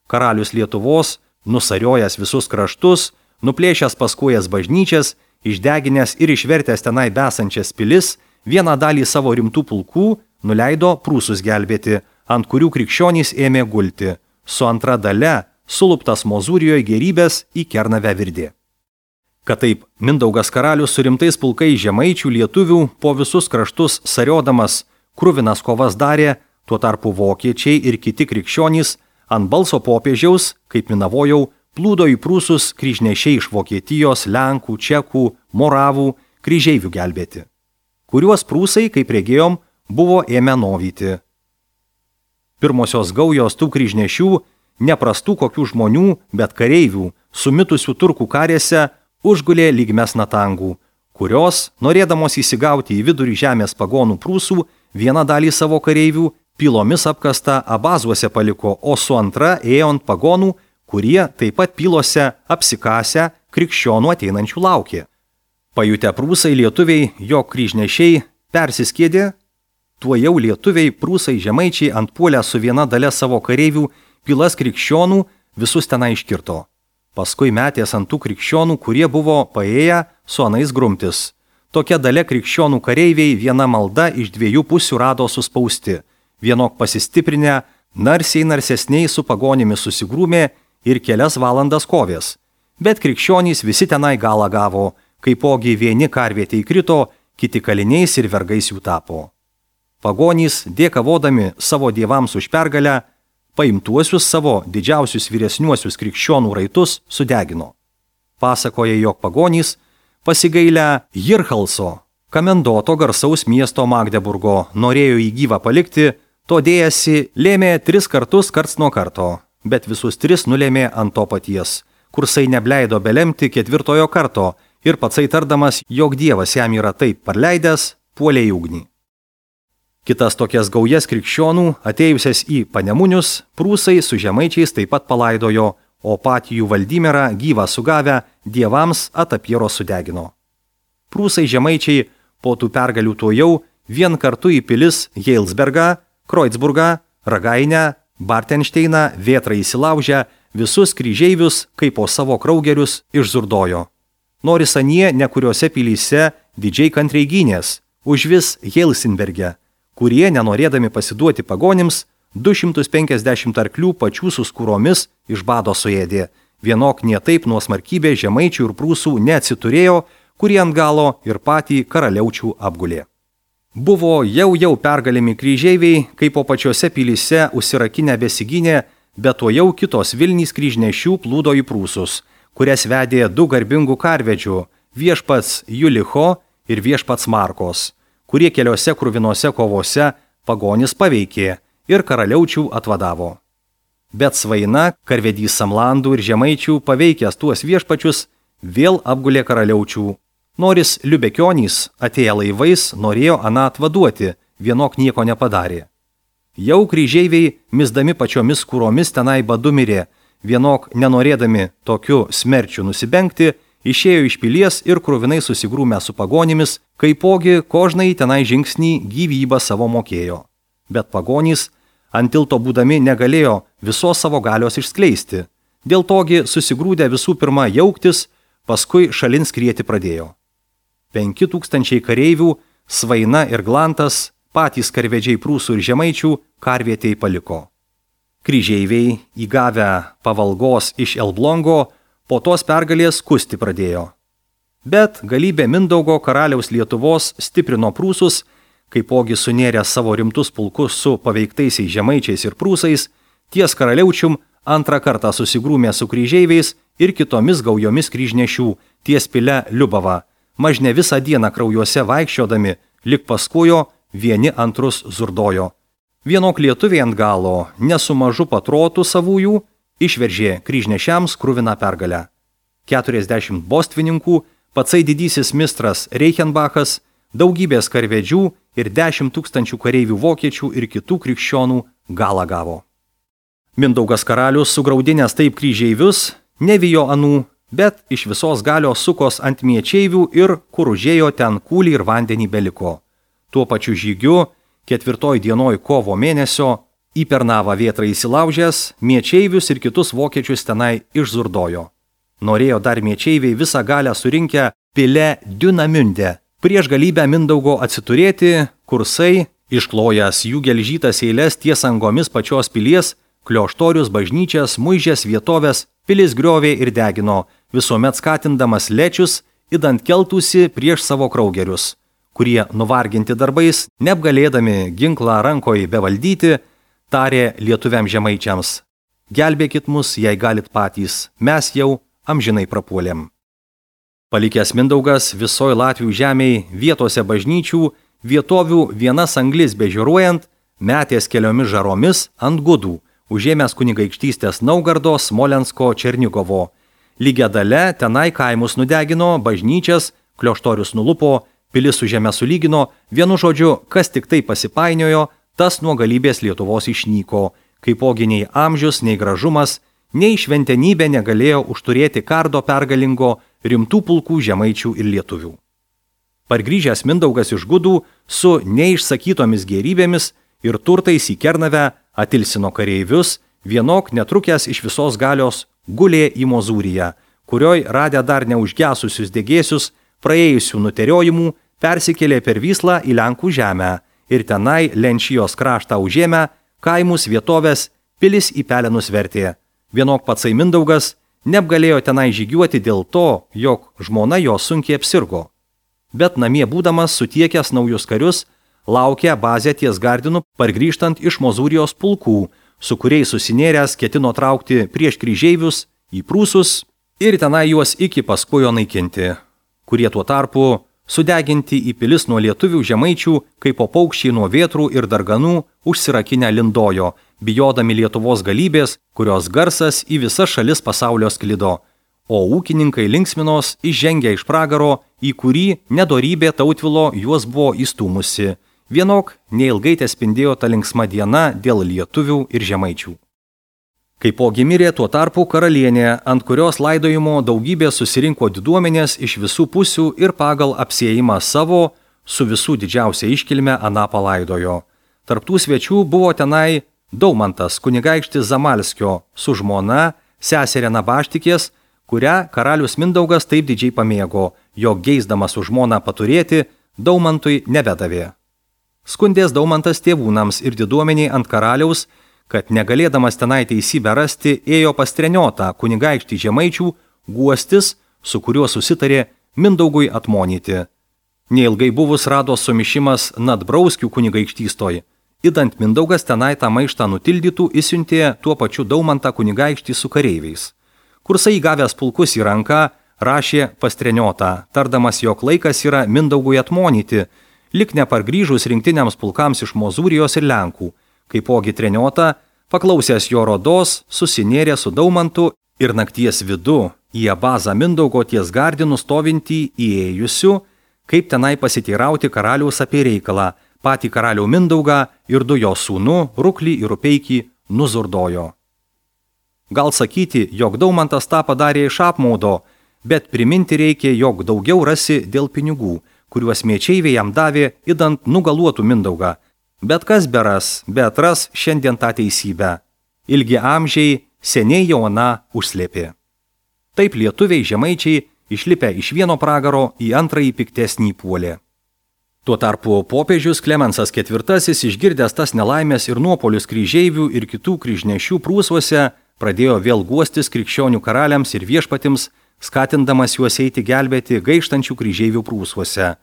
Karalius Lietuvos, nusariojęs visus kraštus, nuplėšęs paskuojas bažnyčias, išdeginęs ir išvertęs tenai besančias pilis, vieną dalį savo rimtų pulkų nuleido prūsus gelbėti, ant kurių krikščionys ėmė gulti, su antra dalia suluptas Mozūrijoje gerybės į Kernavę virdė. Kad taip Mindaugas karalius su rimtais pulkais žemaičių lietuvių po visus kraštus sariodamas kruvinas kovas darė, tuo tarpu vokiečiai ir kiti krikščionys ant balso popiežiaus, kaip minavojau, plūdo į prūsus kryžnešiai iš Vokietijos, Lenkų, Čekų, Moravų, kryžeivių gelbėti, kuriuos prūsai, kaip regėjom, buvo ėmę novyti. Pirmosios gaujos tų kryžnešių, neprastų kokių žmonių, bet kareivių, sumitusių turkų karėse, užgulė lyg mesnatangų, kurios, norėdamos įsigauti į vidurį žemės pagonų prūsų, vieną dalį savo kareivių pilomis apkastą abazuose paliko, o su antra ėjo ant pagonų, kurie taip pat pilose apsikasę krikščionų ateinančių laukė. Pajutę prūsai lietuviai, jo kryžnešiai persiskėdė, tuojau lietuviai prūsai žemaičiai antpuolę su viena dalia savo kareivių pilas krikščionų visus tenai iškirto. Paskui metės ant tų krikščionų, kurie buvo paėję su anais grumtis. Tokia dalia krikščionų kareiviai viena malda iš dviejų pusių rado suspausti. Vienok pasistiprinę, narsesniai su pagonimis susigrūmė ir kelias valandas kovės. Bet krikščionys visi tenai galą gavo, kaipogi vieni karvietė įkrito, kiti kaliniais ir vergais jų tapo. Pagonys, dėkavodami savo dievams už pergalę, paimtuosius savo didžiausius vyresniuosius krikščionų raitus sudegino. Pasakoja, jog pagonys pasigailę Jirchalso, kamendoto garsaus miesto Magdeburgo, norėjo jį gyvą palikti, to dėjasi lėmė 3 kartus karts nuo karto, bet visus 3 nulėmė ant to paties, kursai nebleido belemti 4 karto ir patsai tardamas, jog dievas jam yra taip parleidęs, puolė į ugnį. Kitas tokias gaujas krikščionų, atėjusias į Panemunius, prūsai su žemaičiais taip pat palaidojo, o patį jų Valdymerą gyvą sugavę dievams atapiero sudegino. Prūsai žemaičiai po tų pergalių tuojau vien kartu į pilis Heilsbergą, Kreutzburgą, Ragainę, Bartenšteiną, Vėtrą įsilaužę, visus kryžeivius kaip po savo kraugerius išzurdojo. Nors anie nekuriuose pilyse didžiai kantriai gynės, užvis Helsinberge, kurie, nenorėdami pasiduoti pagonims, 250 arklių pačių su skūromis iš bado suėdė. Vienok nietaip nuo smarkybė žemaičių ir prūsų neatsiturėjo, kurie ant galo ir patį karaliaučių apgulė. Buvo jau pergalimi kryžeiviai, kaip po pačiose pilyse užsirakinę besigynė, bet to jau kitos Vilnys kryžnešių plūdo į prūsus, kurias vedė 2 garbingų karvedžių, viešpats Julicho ir viešpats Markos, kurie keliose kruvinose kovose pagonis paveikė ir karaliaučių atvadavo. Bet Svaina, karvedys Samlandų ir žemaičių paveikęs tuos viešpačius, vėl apgulė karaliaučių. Noris Liubekionys, atėję laivais, norėjo aną atvaduoti, vienok nieko nepadarė. Jau kryžeiviai, misdami pačiomis skūromis tenai badu mirė, vienok nenorėdami tokiu smerčiu nusibengti, išėjo iš pilies ir kruvinai susigrūmę su pagonimis, kaipogi kožnai tenai žingsnį gyvybą savo mokėjo. Bet pagonys ant tilto būdami negalėjo visos savo galios išskleisti. Dėl togi susigrūdę visų pirma jauktis, paskui šalin skrieti pradėjo. 5000 kareivių, Svaina ir Glantas, patys karvedžiai prūsų ir žemaičių, karvietei paliko. Kryžeiviai, įgavę pavalgos iš Elblongo, po tos pergalės kusti pradėjo. Bet galybė Mindaugo karaliaus Lietuvos stiprino prūsus, kaipogi sunėrė savo rimtus pulkus su paveiktaisiais žemaičiais ir prūsais, ties karaliaučium antrą kartą susigrūmė su kryžeiviais ir kitomis gaujomis kryžnešių ties pile Liubava, mažne visą dieną kraujuose vaikščiodami, lik paskujo vieni antrus zurdojo. Vienok lietuviai ant galo, nesu mažu patrotų savųjų, išveržė kryžnešiams kruviną pergalę. 40 bostvininkų, patsai didysis mistras Reichenbachas, daugybės karvedžių ir 10 000 kareivių vokiečių ir kitų krikščionų galą gavo. Mindaugas karalius sugraudinęs taip kryžeivius, nevijo anų, bet iš visos galios sukos ant miečeivių ir kur užėjo ten kūlį ir vandenį beliko. Tuo pačiu žygiu 4 dienoj kovo mėnesio į Pernavą vėtrą įsilaužęs, miečeivius ir kitus vokiečius tenai išzurdojo. Norėjo dar miečeiviai visą galę surinkę pile Dünamünde. Prieš galybę Mindaugo atsiturėti, kursai, išklojęs jų gelžytas eilės ties angomis pačios pilies, klioštorius, bažnyčias, muižės vietovės, pilis griovė ir degino, visuomet skatindamas lečius, idant keltųsi prieš savo kraugerius, kurie, nuvarginti darbais, neapgalėdami ginklą rankoje bevaldyti, tarė lietuviam žemaičiams: gelbėkit mus, jei galit patys, mes jau amžinai prapuolėm. Palikęs Mindaugas visoj Latvių žemėj vietose bažnyčių, vietovių vienas anglis bežiūruojant, metės keliomis žaromis ant gudų, užėmęs kunigaikštystės Naugardo, Smolensko, Černigovo. Lygia dale tenai kaimus nudegino, bažnyčias, klioštorius nulupo, pilis su žeme sulygino, vienu žodžiu, kas tik tai pasipainiojo, tas nuo galybės Lietuvos išnyko, kaipogi nei amžius, nei gražumas, nei šventenybė negalėjo užturėti kardo pergalingo rimtų pulkų žemaičių ir lietuvių. Pargrįžęs Mindaugas iš gudų su neišsakytomis gėrybėmis ir turtais į Kernavę atilsino kareivius, vienok netrukęs iš visos galios gulė į Mozūriją, kurioj radę dar neužgesusius degėsius, praėjusių nuteriojimų, persikėlė per Vyslą į Lenkų žemę ir tenai Lenčijos kraštą užėmę, kaimus vietovės, pilis į pelenus vertė. Vienok patsai Mindaugas neapgalėjo tenai žygiuoti dėl to, jog žmona jo sunkiai apsirgo. Bet namie būdamas sutiekęs naujus karius, laukė bazę ties Gardinu pargrįžtant iš Mozūrijos pulkų, su kuriais susinėręs ketino traukti prieš kryžeivius į Prūsus ir tenai juos iki paskujo naikinti, kurie tuo tarpu sudeginti į pilis nuo lietuvių žemaičių, kaip po paukščiai nuo vėtrų ir darganų užsirakinę lindojo, bijodami Lietuvos galybės, kurios garsas į visas šalis pasaulio sklido, o ūkininkai linksminos išžengė iš pragaro, į kurį nedorybė Tautvilo juos buvo įstūmusi. Vienok neilgai tespindėjo ta linksma diena dėl lietuvių ir žemaičių. Kaipogi mirė tuo tarpu karalienė, ant kurios laidojimo daugybė susirinko diduomenės iš visų pusių ir pagal apsiėjimą savo su visų didžiausia iškilme aną palaidojo. Tarptų svečių buvo tenai Daumantas kunigaikštis Zamalskio su žmona, seserė Nabaštikės, kurią karalius Mindaugas taip didžiai pamėgo, jog geisdamas už žmoną paturėti, Daumantui nebedavė. Skundės Daumantas tėvūnams ir diduomeniai ant karaliaus, kad negalėdamas tenai teisybę rasti, ėjo pas Treniotą kunigaikštį žemaičių guostis, su kuriuo susitarė Mindaugui atmonyti. Neilgai buvus rado sumišimas Nadbrauskių kunigaikštystoj. Idant Mindaugas tenai tą maištą nutildytų, įsiuntė tuo pačiu Daumantą kunigaikštį su kareiviais. Kursai įgavęs pulkus į ranką, rašė pas Treniotą, tardamas, jog laikas yra Mindaugui atmonyti, lik nepargrįžus rinktiniams pulkams iš Mozūrijos ir Lenkų. Kaipogi Treniotą, paklausęs jo rodos, susinėrė su Daumantu ir nakties vidu į abazą Mindaugo ties Gardinu stovintį įėjusių, kaip tenai pasiteirauti karaliaus apie reikalą, patį karalių Mindaugą ir du jo sūnų, Ruklį ir Rupeikį, nuzurdojo. Gal sakyti, jog Daumantas tą padarė iš apmaudo, bet priminti reikia, jog daugiau rasi dėl pinigų, kuriuos miečeiviai jam davė, idant nugaluotų Mindaugą. Bet kas beras, bet ras šiandien tą teisybę. Ilgi amžiai seniai jau aną užslėpė. Taip lietuviai žemaičiai išlipę iš vieno pragaro į antrąjį piktesnį puolė. Tuo tarpu popiežius Klemensas IV, išgirdęs tas nelaimės ir nuopolius kryžeivių ir kitų kryžnešių Prūsuose, pradėjo vėl guostis krikščionių karaliams ir viešpatims, skatindamas juos eiti gelbėti gaištančių kryžeivių Prūsuose.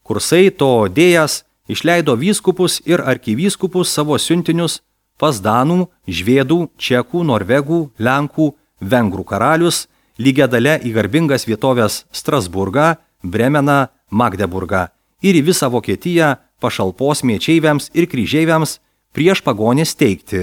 Kursai to dėjas išleido vyskupus ir arkivyskupus savo siuntinius pas danų, žvėdų, čekų, norvegų, lenkų, vengrų karalius, lygia dale į garbingas vietovės Strasburgą, Bremeną, Magdeburgą ir į visą Vokietiją, pašalpos mėčeiviams ir kryžeiviams prieš pagonis teikti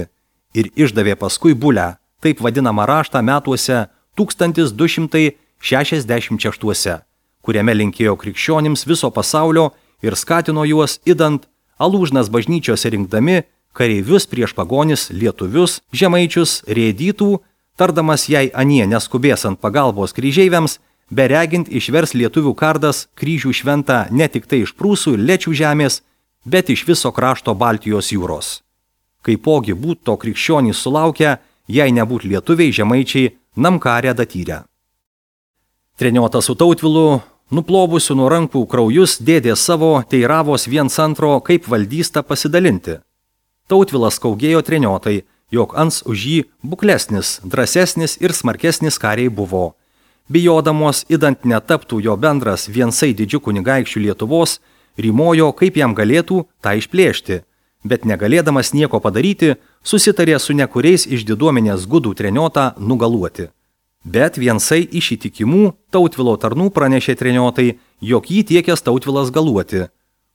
ir išdavė paskui bulę, taip vadinamą raštą metuose 1266, kuriame linkėjo krikščionims viso pasaulio ir skatino juos idant alūžnas bažnyčiose rinkdami kareivius prieš pagonis lietuvius, žemaičius, rėdytų, tardamas jei anie neskubės ant pagalbos kryžeiviams, beregint išvers lietuvių kardas kryžių šventą ne tik tai iš Prūsų ir Lečių žemės, bet iš viso krašto Baltijos jūros. Kaipogi būt to krikščionys sulaukia, jei nebūt lietuviai žemaičiai namkarę datyrę. Treniota su Tautvilu, nuplovusiu nuo rankų kraujus, dėdė savo teiravos viens antro, kaip valdystą pasidalinti. Tautvilas kaugėjo treniotai, jog ans už jį buklesnis, drąsesnis ir smarkesnis kariai buvo. Bijodamos idant netaptų jo bendras viensai didžių kunigaikščių Lietuvos, rymojo, kaip jam galėtų tą išplėšti, bet negalėdamas nieko padaryti, susitarė su nekuriais iš diduomenės gudų treniotą nugaluoti. Bet viensai iš įtikimų Tautvilo tarnų pranešė treniotai, jog jį tiekęs Tautvilas galuoti.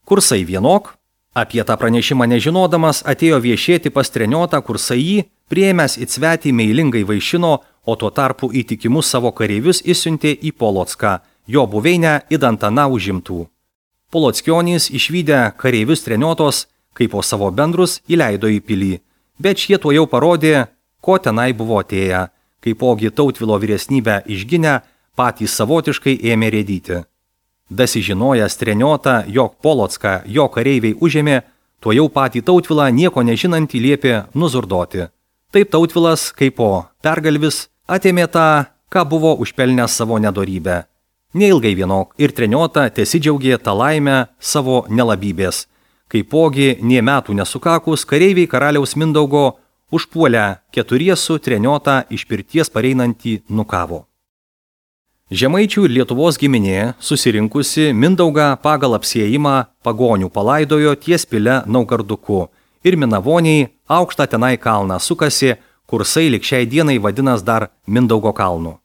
Kursai vienok, apie tą pranešimą nežinodamas, atėjo viešėti pas treniotą, kursai jį, priėmęs į svetį meilingai vaišino, o tuo tarpu įtikimus savo kareivius išsiuntė į Polocką, jo buveinę idant aną užimtų. Polockionys išvydę kareivius treniotos, kaip po savo bendrus, įleido į pilį, bet šie tuo jau parodė, ko tenai buvo atėję, kaipogi Tautvilo vyresnybę išginę, patys savotiškai ėmė rėdyti. Dasižinojęs treniotą, jog Polocką jo kareiviai užėmė, tuo jau patį Tautvilą nieko nežinantį liepė nuzurdoti. Taip Tautvilas, kaip po pergalvis, atėmė tą, ką buvo užpelnęs savo nedorybę. Neilgai vienok ir treniota tesidžiaugė tą laimę savo nelabybės. Kaipogi nė metų nesukakus, kareiviai karaliaus Mindaugo užpuolę keturiesų treniotą iš pirties pareinantį nukavo. Žemaičių ir Lietuvos giminė, susirinkusi Mindaugą pagal apsiėjimą pagonių palaidojo ties pile Naugarduku ir Minavoniai aukštą tenai kalną sukasi, kursai lig šiai dienai vadinas dar Mindaugo kalnu.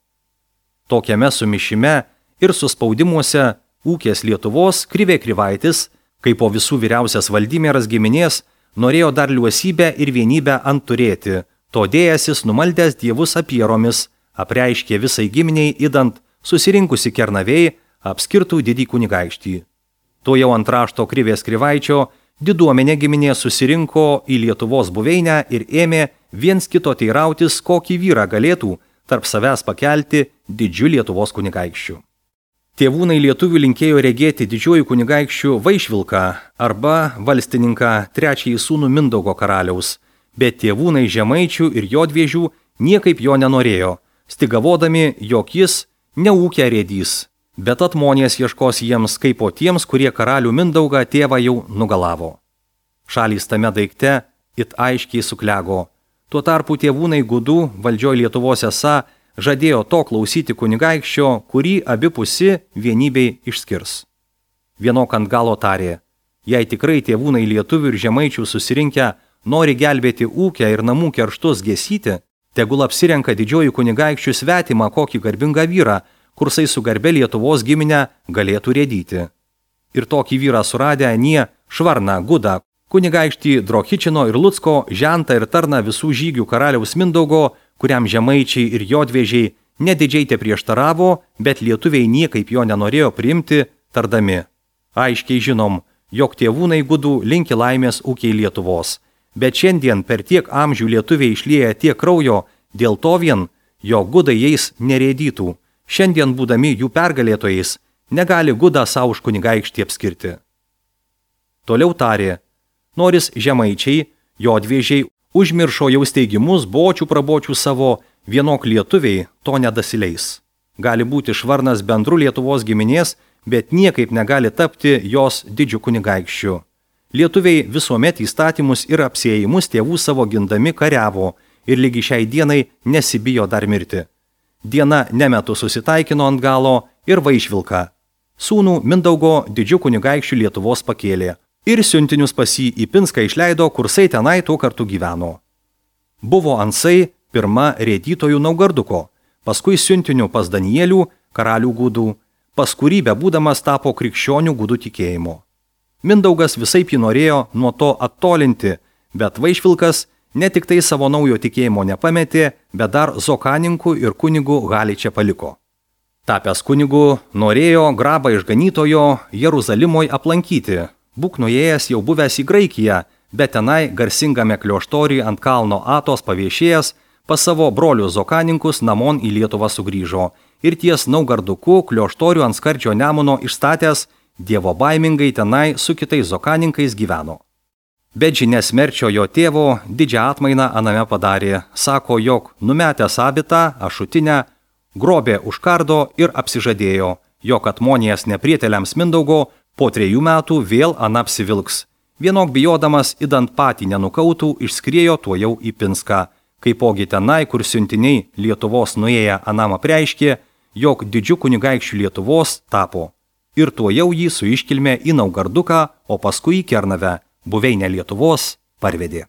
Tokiame sumišime ir suspaudimuose ūkės Lietuvos Krivė Krivaitis, kaip po visų vyriausias Valdimieras giminės, norėjo dar liuosybę ir vienybę ant turėti, todėjasis numaldęs dievus apieromis, apreiškė visai giminiai idant susirinkusi Kernavėj apskirtų didį kunigaikštį. To jau ant rašto Krivės Krivaičio diduomenė giminė susirinko į Lietuvos buveinę ir ėmė viens kito teirautis, kokį vyrą galėtų tarp savęs pakelti didžiu Lietuvos kunigaikščiu. Tėvūnai lietuvių linkėjo regėti didžiuoju kunigaikščiu Vaišvilką arba valstininką trečiąjį sūnų Mindaugo karaliaus, bet tėvūnai žemaičių ir jodviežių niekaip jo nenorėjo, stigavodami, jog jis neūkia rėdys, bet atmonės ieškos jiems kaip po tiems, kurie karalių Mindaugą tėvą jau nugalavo. Šalys tame daikte it aiškiai suklego. Tuo tarpu tėvūnai gudų valdžioj Lietuvos esą žadėjo to klausyti kunigaikščio, kurį abipusi vienybei išskirs. Vienok ant galo tarė, jei tikrai tėvūnai lietuvių ir žemaičių susirinkę nori gelbėti ūkę ir namų kerštus gesyti, tegul apsirenka didžiojų kunigaikščių svetimą kokį garbingą vyrą, kursai su garbe Lietuvos giminę galėtų rėdyti. Ir tokį vyrą suradę anie Švarną, Gudą, kunigaikštį Drohičino ir Lucko, žentą ir tarną visų žygių karaliaus Mindaugo, kuriam žemaičiai ir jodviežiai nedidžiai te prieštaravo, bet lietuviai niekaip jo nenorėjo priimti, tardami. Aiškiai žinom, jog tėvūnai gudų linki laimės ūkiai Lietuvos, bet šiandien per tiek amžių lietuviai išlieja tiek kraujo, dėl to vien, jog gudai jais nerėdytų, šiandien būdami jų pergalėtojais, negali Gudą savo už kunigaikštį apskirti. Toliau tarė, noris žemaičiai, jodviežiai, užmiršo jau steigimus bočių prabočių savo, vienok lietuviai to nedasileis. Gali būti Švarnas bendru Lietuvos giminės, bet niekaip negali tapti jos didžiu kunigaikščiu. Lietuviai visuomet įstatymus ir apsiėjimus tėvų savo gindami kariavo ir lygi šiai dienai nesibijo dar mirti. Diena nemetu susitaikino ant galo ir Vaišvilką. Sūnų Mindaugo didžiu kunigaikščiu Lietuvos pakėlė. Ir siuntinius pas jį į Pinską išleido, kursai tenai tuo kartu gyveno. Buvo ansai pirma rėdytojų Naugarduko, paskui siuntinių pas Danielių, karalių gudų, pas kurį bebūdamas tapo krikščionių gudų tikėjimo. Mindaugas visaip jį norėjo nuo to attolinti, bet Vaišvilkas ne tik tai savo naujo tikėjimo nepametė, bet dar Zokaninkų ir kunigų Haliče paliko. Tapęs kunigu, norėjo grabą išganytojo Jeruzalimoje aplankyti. Būk nuėjęs jau buvęs į Graikiją, bet tenai garsingame klioštoriui ant kalno Atos paviešėjęs pas savo brolius Zokaninkus namon į Lietuvą sugrįžo ir ties Naugarduku klioštorių ant skardžio Nemuno išstatęs dievo baimingai tenai su kitais Zokaninkais gyveno. Bet žinia smerčio jo tėvo didžią atmainą aname padarė, sako, jog numetęs abitą, ašutinę, grobė už kardo ir apsižadėjo, jog atmonijas neprieteliams Mindaugo po 3 metų vėl apsivilks. Vienok bijodamas idant patį nenukautų, išskriejo tuojau į Pinską. Kaipogi tenai, kur siuntiniai Lietuvos nuėję anam apreiškė, jog didžiu kunigaikščiu Lietuvos tapo. Ir tuojau jį su iškilme į Naugarduką, o paskui į Kernavę, buveinę Lietuvos, parvedė.